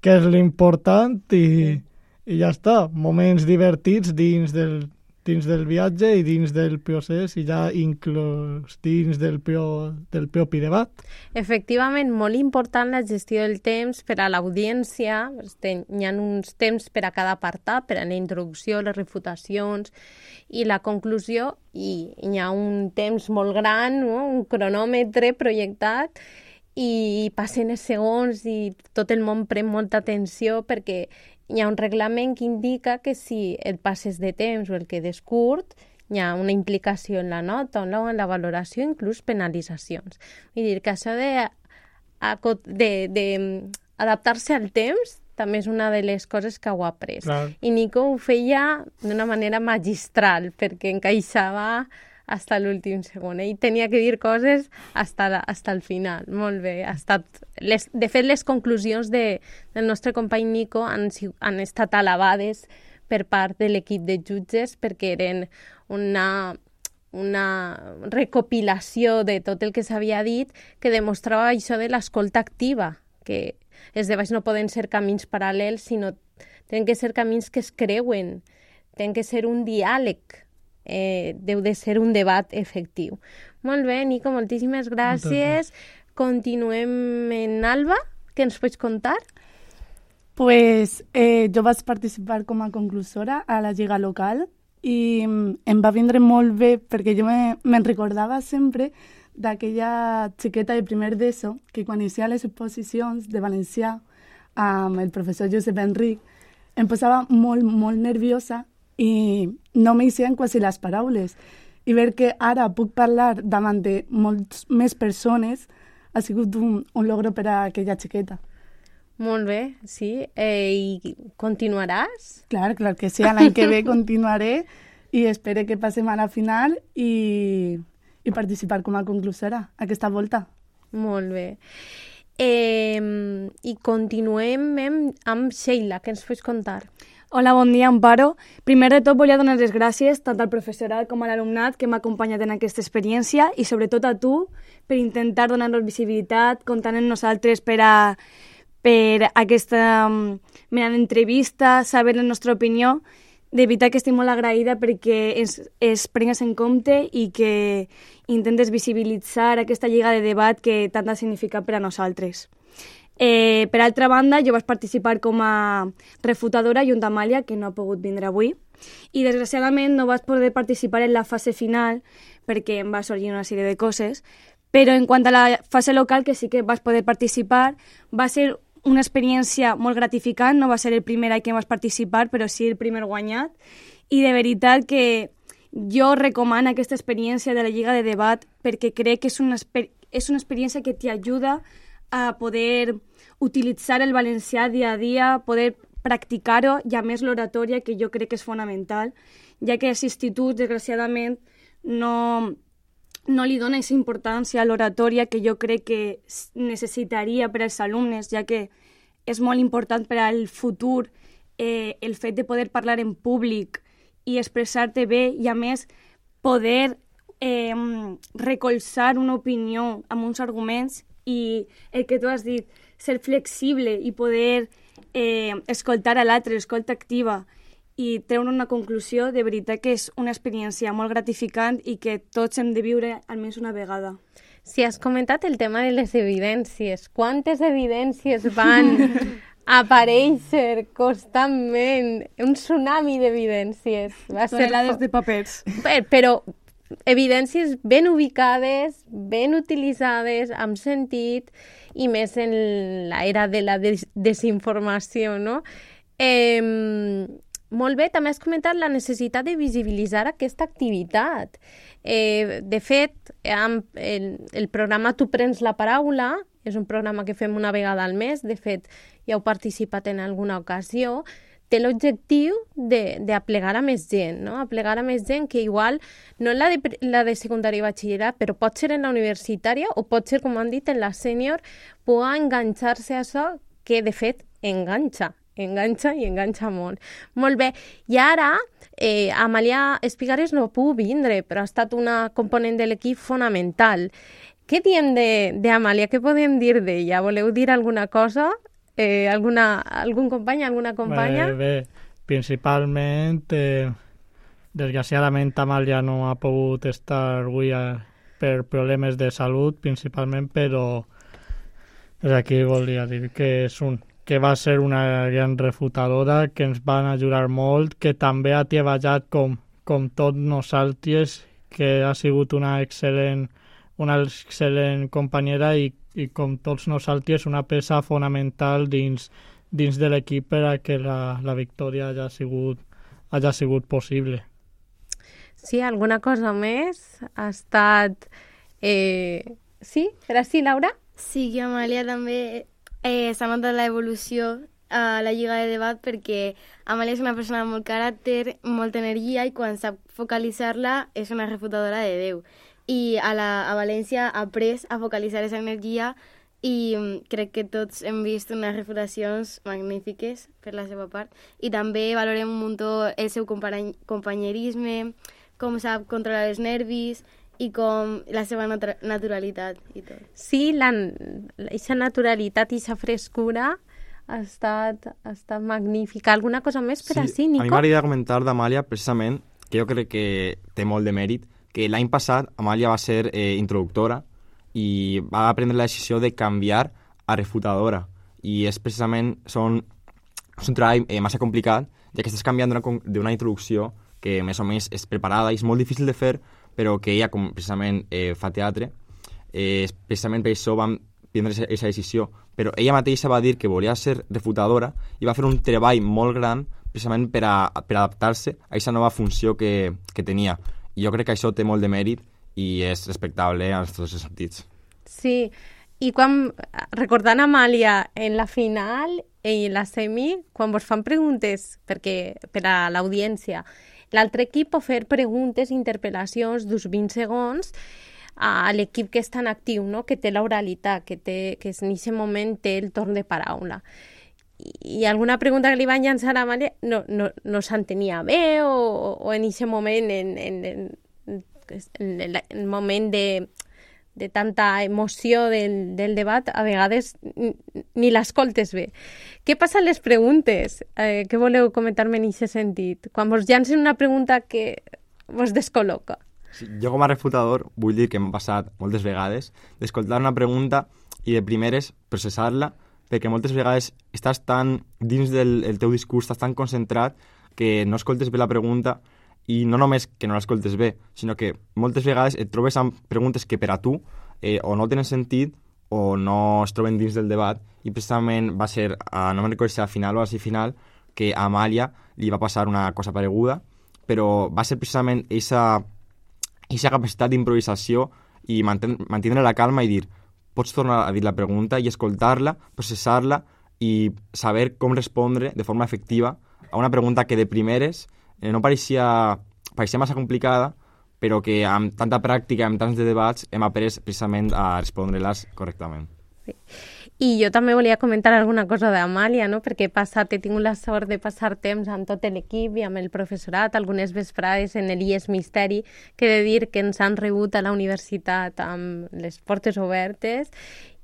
que és l'important i, i ja està, moments divertits dins del, dins del viatge i dins del procés i ja inclús dins del, pro, del propi debat. Efectivament, molt important la gestió del temps per a l'audiència. Hi ha uns temps per a cada apartat, per a la introducció, les refutacions i la conclusió, i hi ha un temps molt gran, no? Un cronòmetre projectat, i passen els segons i tot el món pren molta atenció perquè hi ha un reglament que indica que si et passes de temps o el quedes curt, hi ha una implicació en la nota o en la valoració, inclús penalitzacions. Vull dir que això de, de, de adaptar-se al temps també és una de les coses que ho ha après. Clar. I Nico ho feia d'una manera magistral, perquè encaixava fins a l'últim segon. Ell tenia que dir coses fins al final. Molt bé. Ha estat... Les, de fet, les conclusions de, del nostre company Nico han, han estat alabades per part de l'equip de jutges perquè eren una, una recopilació de tot el que s'havia dit que demostrava això de l'escolta activa, que els debats no poden ser camins paral·lels, sinó tenen que ser camins que es creuen, tenen que ser un diàleg, eh, deu de ser un debat efectiu. Molt bé, Nico, moltíssimes gràcies. Continuem en Alba, què ens pots contar? Pues eh, jo vaig participar com a conclusora a la Lliga Local i em va vindre molt bé perquè jo me, me'n recordava sempre d'aquella xiqueta de primer d'ESO que quan inicia les exposicions de valencià amb el professor Josep Enric em posava molt, molt nerviosa i no m'eixien quasi les paraules. I ver que ara puc parlar davant de moltes més persones ha sigut un, un logro per a aquella xiqueta. Molt bé, sí. Eh, I continuaràs? Clar, clar que sí. L'any que ve continuaré i espero que passem a la final i, i participar com a conclusora aquesta volta. Molt bé. Eh, I continuem amb Sheila, què ens pots contar? Hola, bon dia, Amparo. Primer de tot volia donar les gràcies tant al professorat com a l'alumnat que m'ha acompanyat en aquesta experiència i sobretot a tu per intentar donar-nos visibilitat, comptant en nosaltres per a per aquesta mena d'entrevista, saber la nostra opinió. De veritat que estic molt agraïda perquè es, es prengues en compte i que intentes visibilitzar aquesta lliga de debat que tant ha significat per a nosaltres. Eh, per altra banda, jo vaig participar com a refutadora junt amb Amàlia, que no ha pogut vindre avui, i desgraciadament no vaig poder participar en la fase final perquè em va sorgir una sèrie de coses, però en quant a la fase local, que sí que vaig poder participar, va ser una experiència molt gratificant, no va ser el primer any que vaig participar, però sí el primer guanyat, i de veritat que jo recomano aquesta experiència de la Lliga de Debat perquè crec que és una, és una experiència que t'ajuda a poder utilitzar el valencià dia a dia, poder practicar-ho, i a més l'oratòria, que jo crec que és fonamental, ja que als instituts, desgraciadament, no... no li dona aquesta importància a l'oratòria que jo crec que necessitaria per als alumnes, ja que és molt important per al futur eh, el fet de poder parlar en públic i expressar-te bé i, a més, poder eh, recolzar una opinió amb uns arguments i el que tu has dit, ser flexible i poder eh, escoltar a l'altre, escolta activa, i treure una conclusió, de veritat que és una experiència molt gratificant i que tots hem de viure almenys una vegada. Si has comentat el tema de les evidències, quantes evidències van aparèixer constantment? Un tsunami d'evidències. Tonelades de papers. Però evidències ben ubicades, ben utilitzades, amb sentit, i més en l'era de la des desinformació, no? Eh... Molt bé, també has comentat la necessitat de visibilitzar aquesta activitat. Eh, de fet, el, el programa Tu prens la paraula és un programa que fem una vegada al mes, de fet, ja heu participat en alguna ocasió, té l'objectiu d'aplegar a més gent, no? Aplegar a més gent que igual, no en la de, la de secundària i batxillerat, però pot ser en la universitària o pot ser, com han dit, en la sènior, pugui enganxar-se a això que, de fet, enganxa. enganxa i enganxa molt. Molt bé. I ara, eh, Amàlia Espigares no puc vindre, però ha estat una component de l'equip fonamental. Què diem d'Amàlia? Què podem dir d'ella? Voleu dir alguna cosa? Eh, alguna, algun company, alguna companya? Bé, bé. Principalment, eh, desgraciadament, Amàlia no ha pogut estar avui a, per problemes de salut, principalment, però des d'aquí volia dir que és un que va ser una gran refutadora, que ens van ajudar molt, que també ha treballat com, com tots nosaltres, que ha sigut una excel·lent una excel·lent companyera i, i com tots nosaltres, una peça fonamental dins, dins de l'equip per a que la, la victòria hagi sigut, hagi sigut possible. Sí, alguna cosa més? Ha estat... Eh... Sí? Era així, Laura? Sí, que Amàlia també eh, s'ha notat l'evolució a la Lliga de Debat perquè Amàlia és una persona amb molt caràcter, molta energia i quan sap focalitzar-la és una refutadora de Déu. I a, la, a València ha après a focalitzar aquesta energia i crec que tots hem vist unes refutacions magnífiques per la seva part i també valorem un muntó el seu company companyerisme, com sap controlar els nervis i com la seva nat naturalitat i tot. Sí, la, aquesta naturalitat i aquesta frescura ha estat, ha estat magnífica. Alguna cosa més per sí, així, Nico? A mi m'agradaria comentar d'Amàlia, precisament, que jo crec que té molt de mèrit, que l'any passat Amàlia va ser eh, introductora i va prendre la decisió de canviar a refutadora. I és precisament, són, és un treball eh, massa complicat, ja que estàs canviant d'una introducció que més o menys és preparada i és molt difícil de fer, però que ella, com precisament eh, fa teatre, eh, precisament per això vam prendre aquesta decisió. Però ella mateixa va dir que volia ser refutadora i va fer un treball molt gran precisament per, a, per adaptar-se a aquesta nova funció que, que tenia. I jo crec que això té molt de mèrit i és respectable en tots els sentits. Sí, i quan, recordant Amàlia en la final i la semi, quan vos fan preguntes perquè, per a l'audiència, l'altre equip pot fer preguntes, interpel·lacions d'uns vint segons a l'equip que és tan actiu, no? Que té l'oralitat, que, té, que en aquest moment té el torn de paraula. I, i alguna pregunta que li van llançar a Amàlia no, no, no s'entenia bé o, o en aquest moment, en, en, en, en el, el moment de, de tanta emoció del, del debat, a vegades ni l'escoltes bé. Què passa amb les preguntes? Eh, què voleu comentar-me en aquest sentit? Quan vos llancen una pregunta que vos descol·loca. Sí, jo com a refutador vull dir que m'ha passat moltes vegades d'escoltar una pregunta i de primeres processar-la, perquè moltes vegades estàs tan dins del el teu discurs, estàs tan concentrat que no escoltes bé la pregunta i no només que no l'escoltes bé, sinó que moltes vegades et trobes amb preguntes que per a tu eh, o no tenen sentit o no es troben dins del debat i precisament va ser, a, no me'n recordo si a la final o a la final, que a Amàlia li va passar una cosa pareguda, però va ser precisament aquesta aquesta capacitat d'improvisació i manten mantenir la calma i dir, pots tornar a dir la pregunta i escoltar-la, processar-la i saber com respondre de forma efectiva a una pregunta que de primeres eh, no pareixia, pareixia massa complicada, però que amb tanta pràctica, amb tants de debats, hem après precisament a respondre-les correctament. Sí. I jo també volia comentar alguna cosa d'Amàlia, no? Perquè he, passat, he tingut la sort de passar temps amb tot l'equip i amb el professorat, algunes vesprades en l'I E S Misteri, que he de dir que ens han rebut a la universitat amb les portes obertes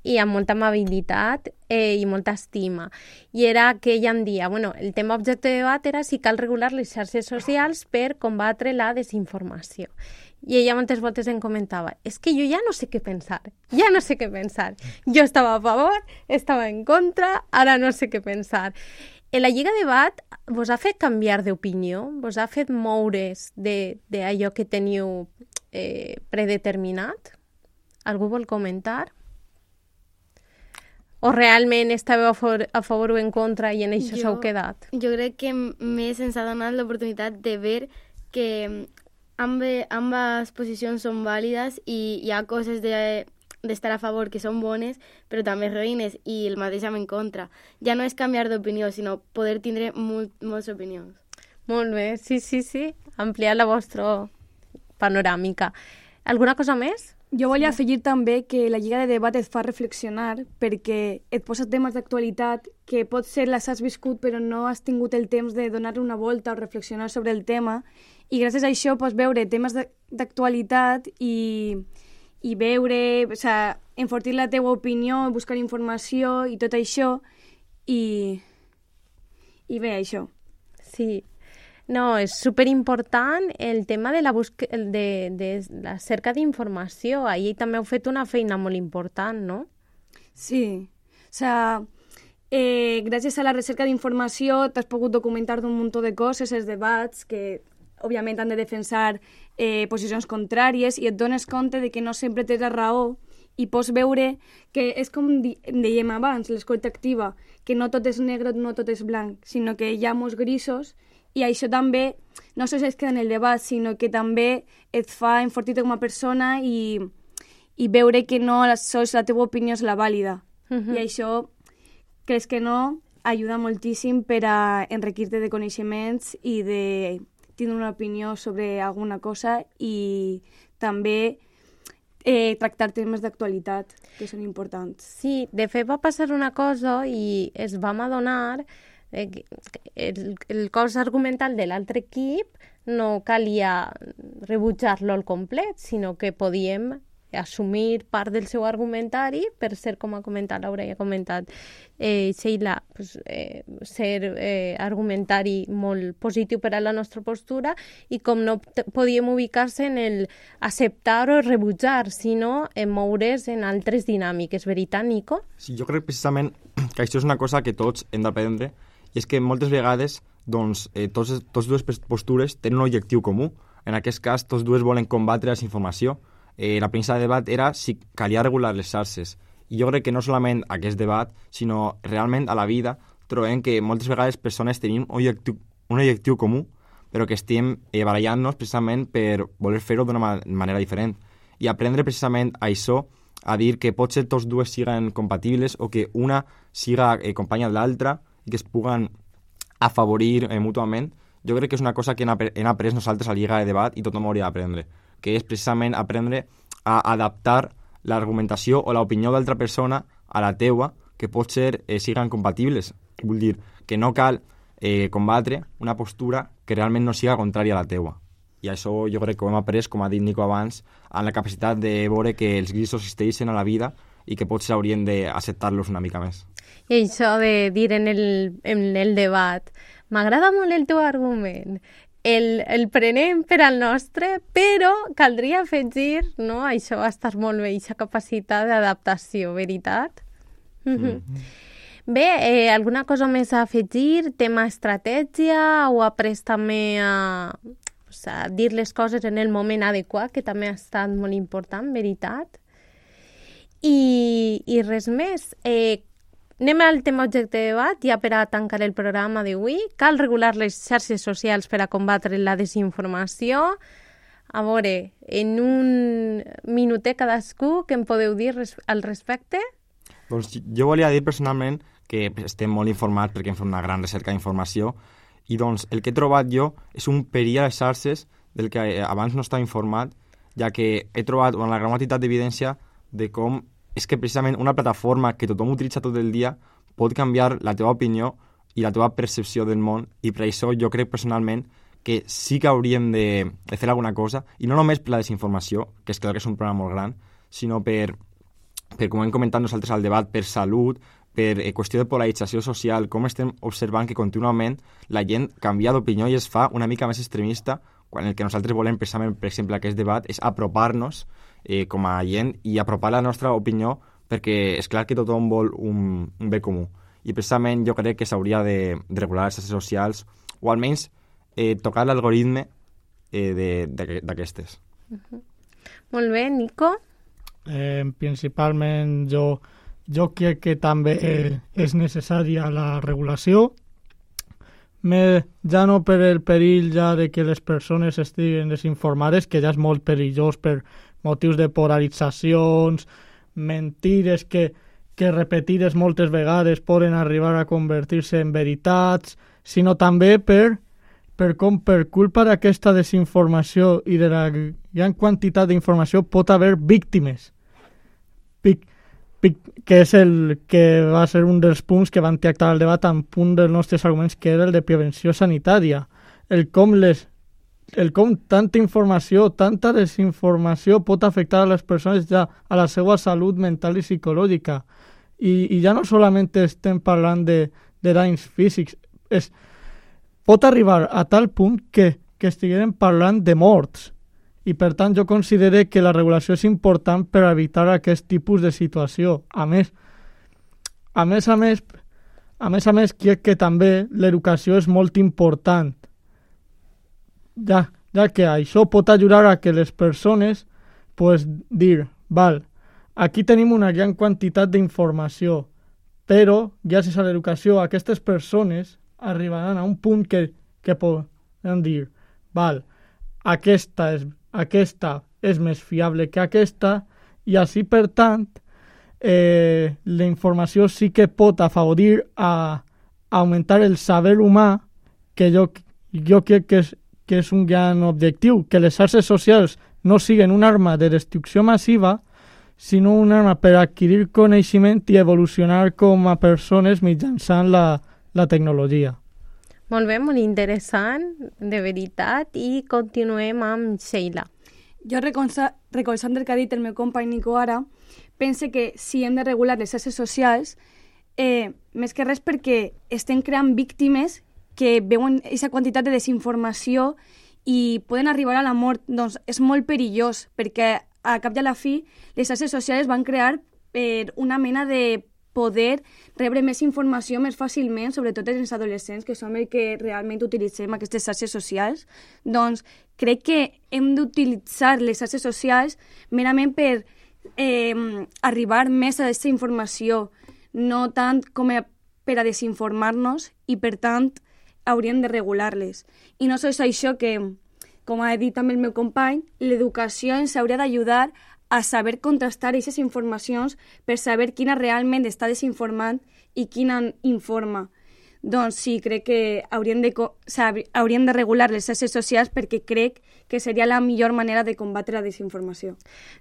i amb molta amabilitat eh, i molta estima. I era que ella em dia, bueno, el tema objecte de debat era si cal regular les xarxes socials per combatre la desinformació. I ella moltes voltes em comentava, és que jo ja no sé què pensar, ja no sé què pensar. Jo estava a favor, estava en contra, ara no sé què pensar. En la Lliga de Debat vos ha fet canviar d'opinió? Vos ha fet moure's d'allò que teniu eh, predeterminat? Algú vol comentar? O realment estàveu a favor, a favor o en contra i en això s'heu quedat? Jo crec que més ens ha donat l'oportunitat de veure que Ambe, ambas posicions són vàlides i hi ha coses de, d'estar a favor que són bones, però també ruïnes i el mateix amb en contra. Ja no és canviar d'opinió, sinó poder tindre molt, moltes opinions. Molt bé, sí, sí, sí. Ampliar la vostra panoràmica. Alguna cosa més? Jo volia afegir també que la Lliga de Debat et fa reflexionar perquè et posa temes d'actualitat que potser les has viscut però no has tingut el temps de donar una volta o reflexionar sobre el tema i gràcies a això pots veure temes d'actualitat i, i veure, o sigui, enfortir la teua opinió, buscar informació i tot això i, i bé, això. Sí. No, és superimportant el tema de la, busca, de, de la cerca d'informació. Ahir també heu fet una feina molt important, no? Sí. O sigui, eh, gràcies a la recerca d'informació t'has pogut documentar d'un munt de coses, els debats, que òbviament han de defensar eh, posicions contràries i et dones compte de que no sempre tens la raó i pots veure que és com di dèiem abans, l'escolta activa, que no tot és negre, no tot és blanc, sinó que hi ha molts grisos i això també no sols es queda en el debat, sinó que també et fa enfortir-te com a persona i, i veure que no sols la teva opinió és la vàlida. Uh-huh. I això, creus que no, ajuda moltíssim per a enriquir-te de coneixements i de tindre una opinió sobre alguna cosa i també eh, tractar temes d'actualitat, que són importants. Sí, de fet va passar una cosa i es vam adonar eh, que el, el cos argumental de l'altre equip no calia rebutjar-lo al complet, sinó que podíem assumir part del seu argumentari per ser, com ha comentat Laura i ha comentat eh, Sheila, pues, eh, ser eh, argumentari molt positiu per a la nostra postura i com no podíem ubicar-se en el acceptar o rebutjar, sinó en moure's en altres dinàmiques. Veritat, Nico? Sí, jo crec precisament que això és una cosa que tots hem d'aprendre i és que moltes vegades doncs, eh, tots, tots dues postures tenen un objectiu comú. En aquest cas, tots dues volen combatre la desinformació. Eh, la premissa de debat era si calia regular les xarxes. I jo crec que no solament aquest debat, sinó realment a la vida trobem que moltes vegades persones tenim un objectiu, un objectiu comú, però que estem eh, barallant-nos precisament per voler fer-ho d'una ma manera diferent. I aprendre precisament a això, a dir que potser tots dues siguen compatibles o que una siga eh, companya de l'altra i que es puguen afavorir eh, mútuament, jo crec que és una cosa que hem, ap hem après nosaltres a la Lliga de Debat i tothom hauria d'aprendre, que és precisament aprendre a adaptar l'argumentació o l'opinió d'altra persona a la teua, que pot ser eh, siguen compatibles. Vull dir que no cal eh, combatre una postura que realment no siga contrària a la teua. I això jo crec que ho hem après, com ha dit Nico abans, en la capacitat de veure que els grisos existeixen a la vida i que potser haurien d'acceptar-los una mica més. I això de dir en el, en el debat, m'agrada molt el teu argument, El, el prenem per al nostre, però caldria afegir, no? Això va estar molt bé, aquesta capacitat d'adaptació, veritat? Mm-hmm. Bé, eh, alguna cosa més a afegir? Tema estratègia o après també a, a dir les coses en el moment adequat, que també ha estat molt important, veritat? I, i res més. Eh, Anem al tema objecte de debat, ja per a tancar el programa d'avui. Cal regular les xarxes socials per a combatre la desinformació. A veure, en un minutet cadascú, què em podeu dir res al respecte? Doncs jo volia dir personalment que estem molt informats perquè hem fet una gran recerca d'informació i doncs el que he trobat jo és un perill a les xarxes del que abans no estava informat, ja que he trobat una gran quantitat d'evidència de com és que precisament una plataforma que tothom utilitza tot el dia pot canviar la teva opinió i la teva percepció del món, i per això jo crec personalment que sí que hauríem de, de fer alguna cosa, i no només per la desinformació, que és clar que és un problema molt gran, sinó per, per com hem comentat nosaltres al debat, per salut, per eh, qüestió de polarització social, com estem observant que contínuament la gent canvia d'opinió i es fa una mica més extremista, quan el que nosaltres volem precisament, per exemple, aquest debat, és apropar-nos eh, com a gent i apropar la nostra opinió, perquè és clar que tothom vol un, un bé comú. I precisament jo crec que s'hauria de, de regular les xarxes socials, o almenys eh, tocar l'algoritme eh, d'aquestes. Uh-huh. Molt bé, Nico? Eh, principalment jo, jo crec que també eh, és necessària la regulació, Me, ja no per el perill ja de que les persones estiguen desinformades, que ja és molt perillós per motius de polaritzacions, mentires que, que repetides moltes vegades poden arribar a convertir-se en veritats, sinó també per, per com per culpa d'aquesta desinformació i de la gran quantitat d'informació pot haver víctimes. Vic, que és el que va ser un dels punts que van tractar al debat en punt dels nostres arguments, que era el de prevenció sanitària. El com, les, el com tanta informació, tanta desinformació pot afectar a les persones ja a la seva salut mental i psicològica. I, i ja no solament estem parlant de, de danys físics, és, pot arribar a tal punt que, que estiguem parlant de morts. I, per tant, jo considero que la regulació és important per evitar aquest tipus de situació. A més, a més, a més, a més, a més crec que també l'educació és molt important ja, ja que això pot ajudar a que les persones pues, dir, val, aquí tenim una gran quantitat d'informació, però gràcies a l'educació aquestes persones arribaran a un punt que, que poden dir, val, aquesta és, aquesta és més fiable que aquesta, i així, per tant, eh, la informació sí que pot afavorir a, a augmentar el saber humà, que jo, jo crec que és, que és un gran objectiu, que les xarxes socials no siguin una arma de destrucció massiva, sinó una arma per adquirir coneixement i evolucionar com a persones mitjançant la, la tecnologia. Molt bé, molt interessant, de veritat, i continuem amb Sheila. Jo, recolzant el que ha dit el meu company Nico ara, pense que si hem de regular les xarxes socials, eh, més que res perquè estem creant víctimes que veuen aquesta quantitat de desinformació i poden arribar a la mort. Doncs és molt perillós, perquè a cap i a la fi les xarxes socials van crear per una mena de poder rebre més informació més fàcilment, sobretot els adolescents, que som els que realment utilitzem aquestes xarxes socials. Doncs crec que hem d'utilitzar les xarxes socials merament per eh, arribar més a aquesta informació, no tant com a, per a desinformar-nos, i per tant hauríem de regular-les. I no sols això que, com ha dit també el meu company, l'educació ens hauria d'ajudar a saber contrastar aquestes informacions per saber quina realment està desinformant i quina informa. Doncs sí, crec que hauríem de, o sigui, hauríem de regular les xarxes socials, perquè crec que seria la millor manera de combatre la desinformació.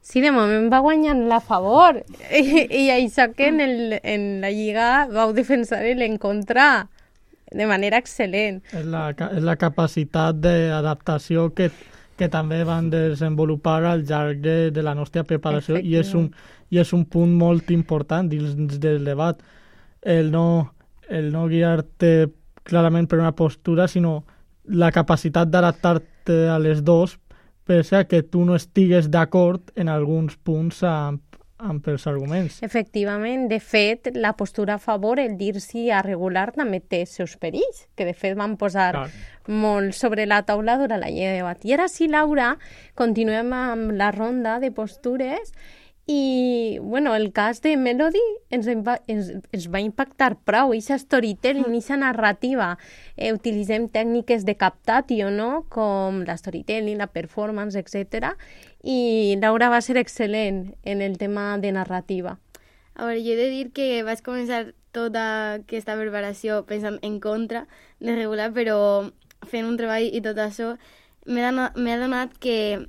Sí, de moment va guanyant la favor. I, i això que en, el, en la Lliga vau defensar l'encontra de manera excel·lent. És la, és la capacitat d'adaptació que, que també van desenvolupar al llarg de, de la nostra preparació, i és, un, i és un punt molt important dins del debat. El no, el no guiar-te clarament per una postura, sinó la capacitat d'adaptar-te a les dos, pese a que tu no estigues d'acord en alguns punts amb, amb els arguments. Efectivament, de fet, la postura a favor, el dir-s'hi a regular, també té els seus perills, que de fet van posar Clar. molt sobre la taula durant la llei de debat. I ara sí, Laura, continuem amb la ronda de postures. I, bueno, el cas de Melody ens, ens, ens va impactar prou, aquesta storytelling, aquesta narrativa. Eh, utilitzem tècniques de captatio, no?, com la storytelling, la performance, etcètera. I Laura va ser excel·lent en el tema de narrativa. A veure, jo he de dir que vaig començar tota aquesta preparació pensant en contra de regular, però fent un treball i tot això m'he adonat que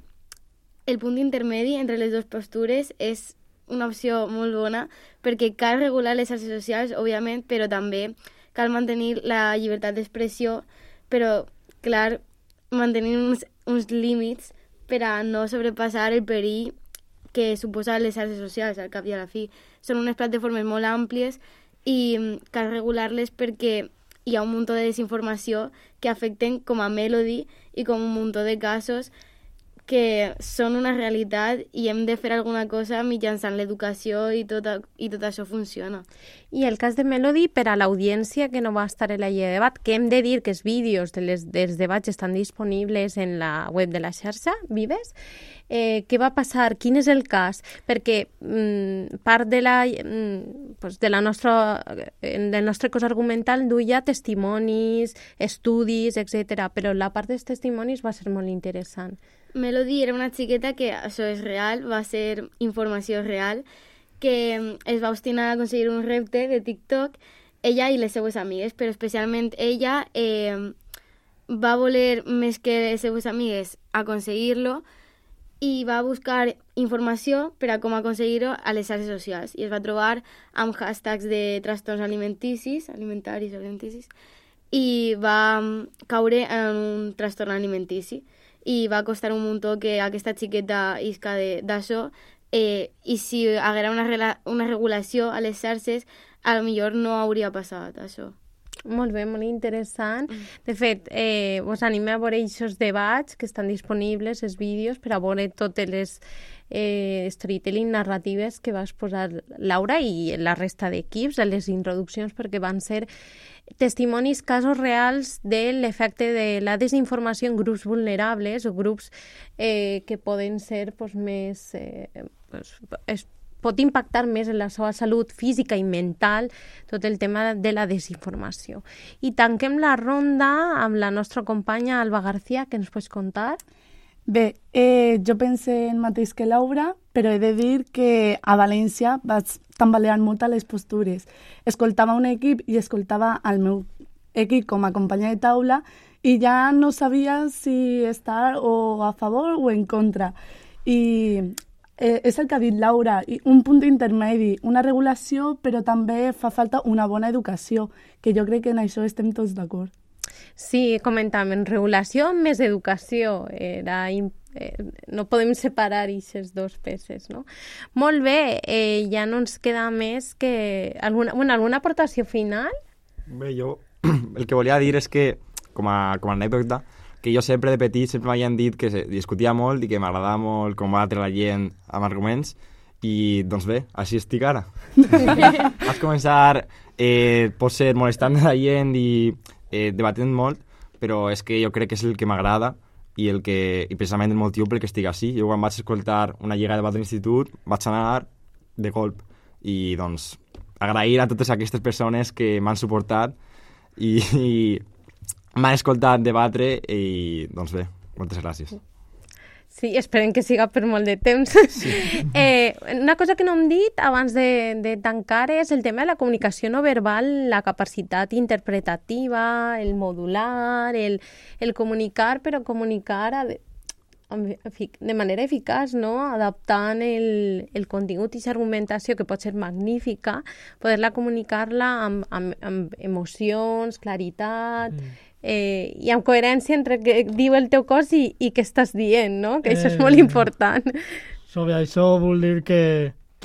el punt intermedi entre les dues postures és una opció molt bona, perquè cal regular les xarxes socials, òbviament, però també cal mantenir la llibertat d'expressió, però, clar, mantenir uns, uns límits per a no sobrepassar el perill que suposa les xarxes socials, al cap i a la fi. Són unes plataformes molt àmplies i cal regular-les perquè hi ha un munt de desinformació que afecten com a Melody i com un munt de casos que són una realitat i hem de fer alguna cosa mitjançant l'educació i tot, i tot això funciona. I el cas de Melody, per a l'audiència que no va estar en la llei de debat, que hem de dir que els vídeos de les, dels debats estan disponibles en la web de la xarxa, Vives. Eh, què va passar? Quin és el cas? Perquè mm, part de la, mm, pues de la nostra, del nostre cos argumental duia testimonis, estudis, etcètera, però la part dels testimonis va ser molt interessant. Melody era una xiqueta que, això és real, va ser informació real, que es va obstinar a aconseguir un repte de TikTok, ella i les seues amigues, però especialment ella eh, va voler, més que les seues amigues, aconseguir-lo, i va buscar informació per a com aconseguir-ho a les xarxes socials, i es va trobar amb hashtags de trastorns alimenticis, alimentaris o alimenticis, i va caure en un trastorn alimentici. I va costar un muntó que aquesta xiqueta isca d'això, eh, i si hi haguera una, una regulació a les xarxes, a lo millor no hauria passat això. Molt bé, molt interessant. De fet, eh, us anime a veure aquests debats que estan disponibles, els vídeos, per a veure totes les eh, storytelling narratives que va exposar Laura i la resta d'equips a les introduccions, perquè van ser testimonis, casos reals de l'efecte de la desinformació en grups vulnerables o grups eh, que poden ser pues, més... Eh, pues, es, pot impactar més en la seva salut física i mental tot el tema de la desinformació. I tanquem la ronda amb la nostra companya Alba García, que ens pots contar? Bé, eh, jo penso el mateix que Laura, però he de dir que a València vaig tambalear molt a les postures. Escoltava un equip i escoltava el meu equip com a companya de taula i ja no sabia si estar o a favor o en contra. I eh, és el que ha dit Laura, un punt intermedi, una regulació, però també fa falta una bona educació, que jo crec que en això estem tots d'acord. Sí, comentàvem, regulació més educació, era, eh, no podem separar aquestes dues peces, no? Molt bé, eh, ja no ens queda més que... Alguna, bueno, alguna aportació final? Bé, jo el que volia dir és que, com a, com a anècdota, que jo sempre de petit sempre m'havien dit que discutia molt i que m'agradava molt combatre la gent amb arguments i, doncs bé, així estic ara. Vaig començar, eh, potser molestant la gent i eh, debatent molt, però és que jo crec que és el que m'agrada i, el que, i precisament el motiu pel que estic així. Jo quan vaig escoltar una lliga de debat de l'institut vaig anar de colp i, doncs, agrair a totes aquestes persones que m'han suportat i... i m'han escoltat debatre i, doncs bé, moltes gràcies. Sí, esperem que siga per molt de temps. Sí. Eh, una cosa que no hem dit abans de, de tancar és el tema de la comunicació no verbal, la capacitat interpretativa, el modular, el, el comunicar, però comunicar a, de manera eficaç, no? Adaptant el, el contingut i l'argumentació, que pot ser magnífica, poder-la comunicar-la amb, amb, amb emocions, claritat... Mm. Eh, i amb coherència entre què diu el teu cos i, i què estàs dient, no? Que això és molt important. Sobre això vull dir que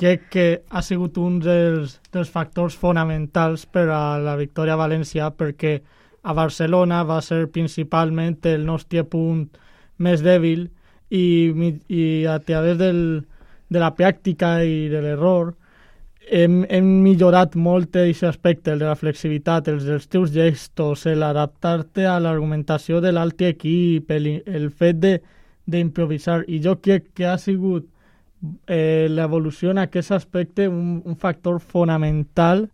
crec que ha sigut un dels, dels factors fonamentals per a la victòria a València, perquè a Barcelona va ser principalment el nostre punt més dèbil i, i a través del, de la pràctica i de l'error Hem, hem millorat molt aquest aspecte, el de la flexibilitat, els dels teus gestos, l'adaptar-te a l'argumentació de l'altre equip, el, el fet d'improvisar. I jo crec que ha sigut eh, l'evolució en aquest aspecte un, un factor fonamental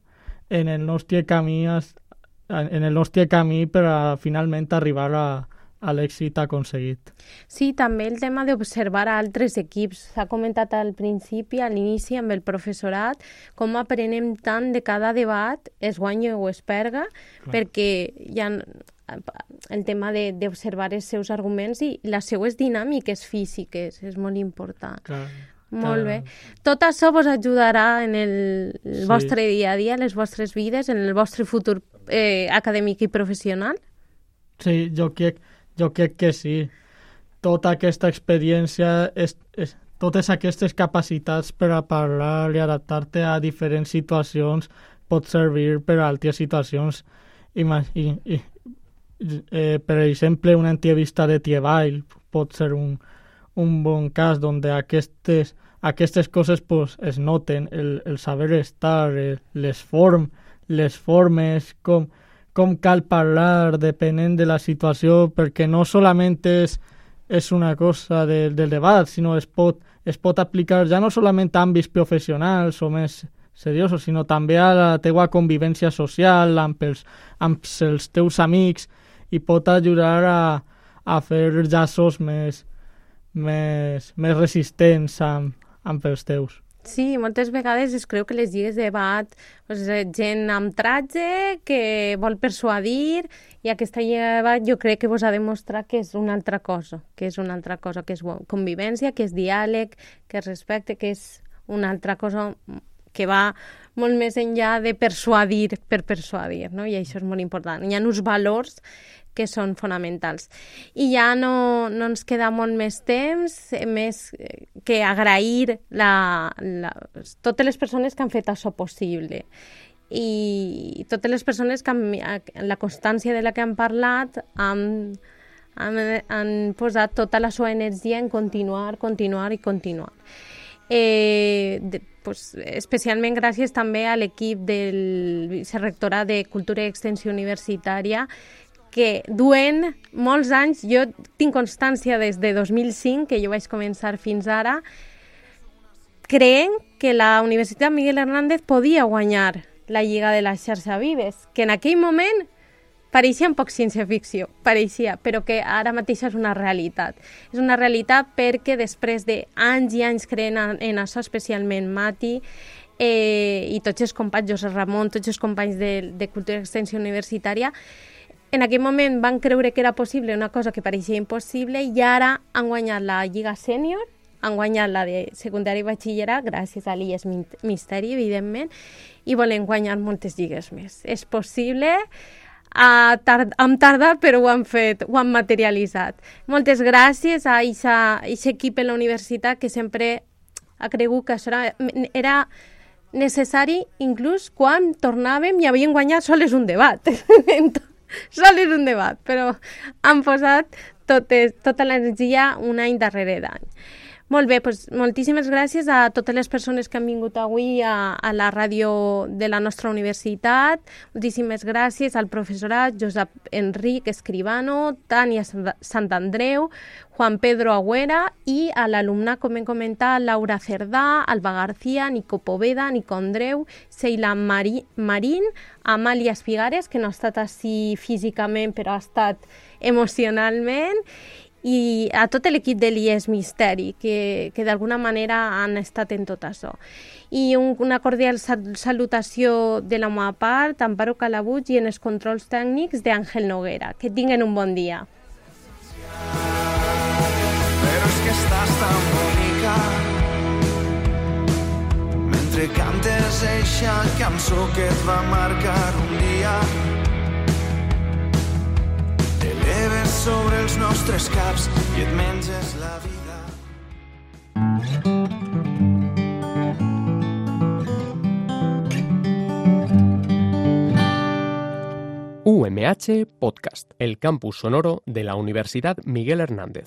en el nostre camí, en el nostre camí per a finalment arribar a, a l'èxit aconseguit. Sí, també el tema d'observar a altres equips. S'ha comentat al principi, a l'inici, amb el professorat, com aprenem tant de cada debat, es guanya o es perga, clar, perquè hi ha el tema d'observar els seus arguments i les seues dinàmiques físiques, és molt important. Clar. Molt bé. Tot això vos ajudarà en el, el sí. vostre dia a dia, en les vostres vides, en el vostre futur eh, acadèmic i professional? Sí, jo crec Jo crec que sí. Tota aquesta experiència, és, és, totes aquestes capacitats per a parlar i adaptar-te a diferents situacions pot servir per a altres situacions. I, i, i, eh, per exemple, una entrevista de treball pot ser un, un bon cas on aquestes, aquestes coses pues, es noten, el, el saber estar, el, les, form, les formes, com... com cal parlar depenent de la situació, perquè no solament és, és una cosa de, del debat, sinó es pot, es pot aplicar ja no solament a àmbits professionals o més seriosos, sinó també a la teua convivència social, amb els, amb els teus amics, i pot ajudar a, a fer llaços més, més, més resistents amb, amb els teus. Sí, moltes vegades es creu que les lligues de debat pues, gent amb tratge que vol persuadir, i aquesta lliga de debat jo crec que vos ha de mostrar que és una altra cosa, que és una altra cosa, que és convivència, que és diàleg, que és respecte, que és una altra cosa que va molt més enllà de persuadir per persuadir, no? I això és molt important. Hi ha uns valors que són fonamentals. I ja no, no ens queda molt més temps, més que agrair la, la, totes les persones que han fet això possible. i totes les persones que han, la constància de la que han parlat han, han, han posat tota la seva energia en continuar, continuar i continuar. Eh, de, pues, especialment gràcies també a l'equip del vicerectorat de Cultura i Extensió Universitària, que duen molts anys, jo tinc constància des de dos mil cinc, que jo vaig començar fins ara, creient que la Universitat Miguel Hernández podia guanyar la Lliga de la Xarxa Vives, que en aquell moment pareixia un poc ciència-ficció, pareixia, però que ara mateix és una realitat. És una realitat perquè després d'anys i anys creient en, en això, especialment Mati eh, i tots els companys, José Ramon, tots els companys de, de Cultura i Extensió Universitària, en aquell moment van creure que era possible una cosa que pareixia impossible i ara han guanyat la Lliga Sènior, han guanyat la de secundari i batxillerat, gràcies a l'I E S Misteri, evidentment, i volen guanyar moltes lligues més. És possible, ha tard, hem tardat, però ho han fet, ho han materialitzat. Moltes gràcies a aquest equip en la universitat que sempre ha cregut que això era, era necessari, inclús quan tornàvem i havien guanyat sols un debat. Sol és un debat, però han posat totes, tota l'energia un any darrere d'any. Molt bé, doncs moltíssimes gràcies a totes les persones que han vingut avui a, a la ràdio de la nostra universitat. Moltíssimes gràcies al professorat Josep Enric Escribano, Tània Santandreu, Juan Pedro Agüera i a l'alumnat, com hem comentat, Laura Cerdà, Alba García, Nico Poveda, Nico Andreu, Seila Mari, Marín, Amàlia Espigares, que no ha estat així físicament, però ha estat emocionalment, i a tot l'equip de l'I E S Misteri, que, que d'alguna manera han estat en tot això. I un, una cordial salutació de la meva part, Amparo Calabuig, i en els controls tècnics d'Àngel Noguera. Que tinguen un bon dia. Però és que estàs tan bonica mentre cantes eixa cançó que et va marcar un dia. T'eleves sobre els nostres caps i et menges la vida. U M H Podcast, el campus sonoro de la Universidad Miguel Hernández.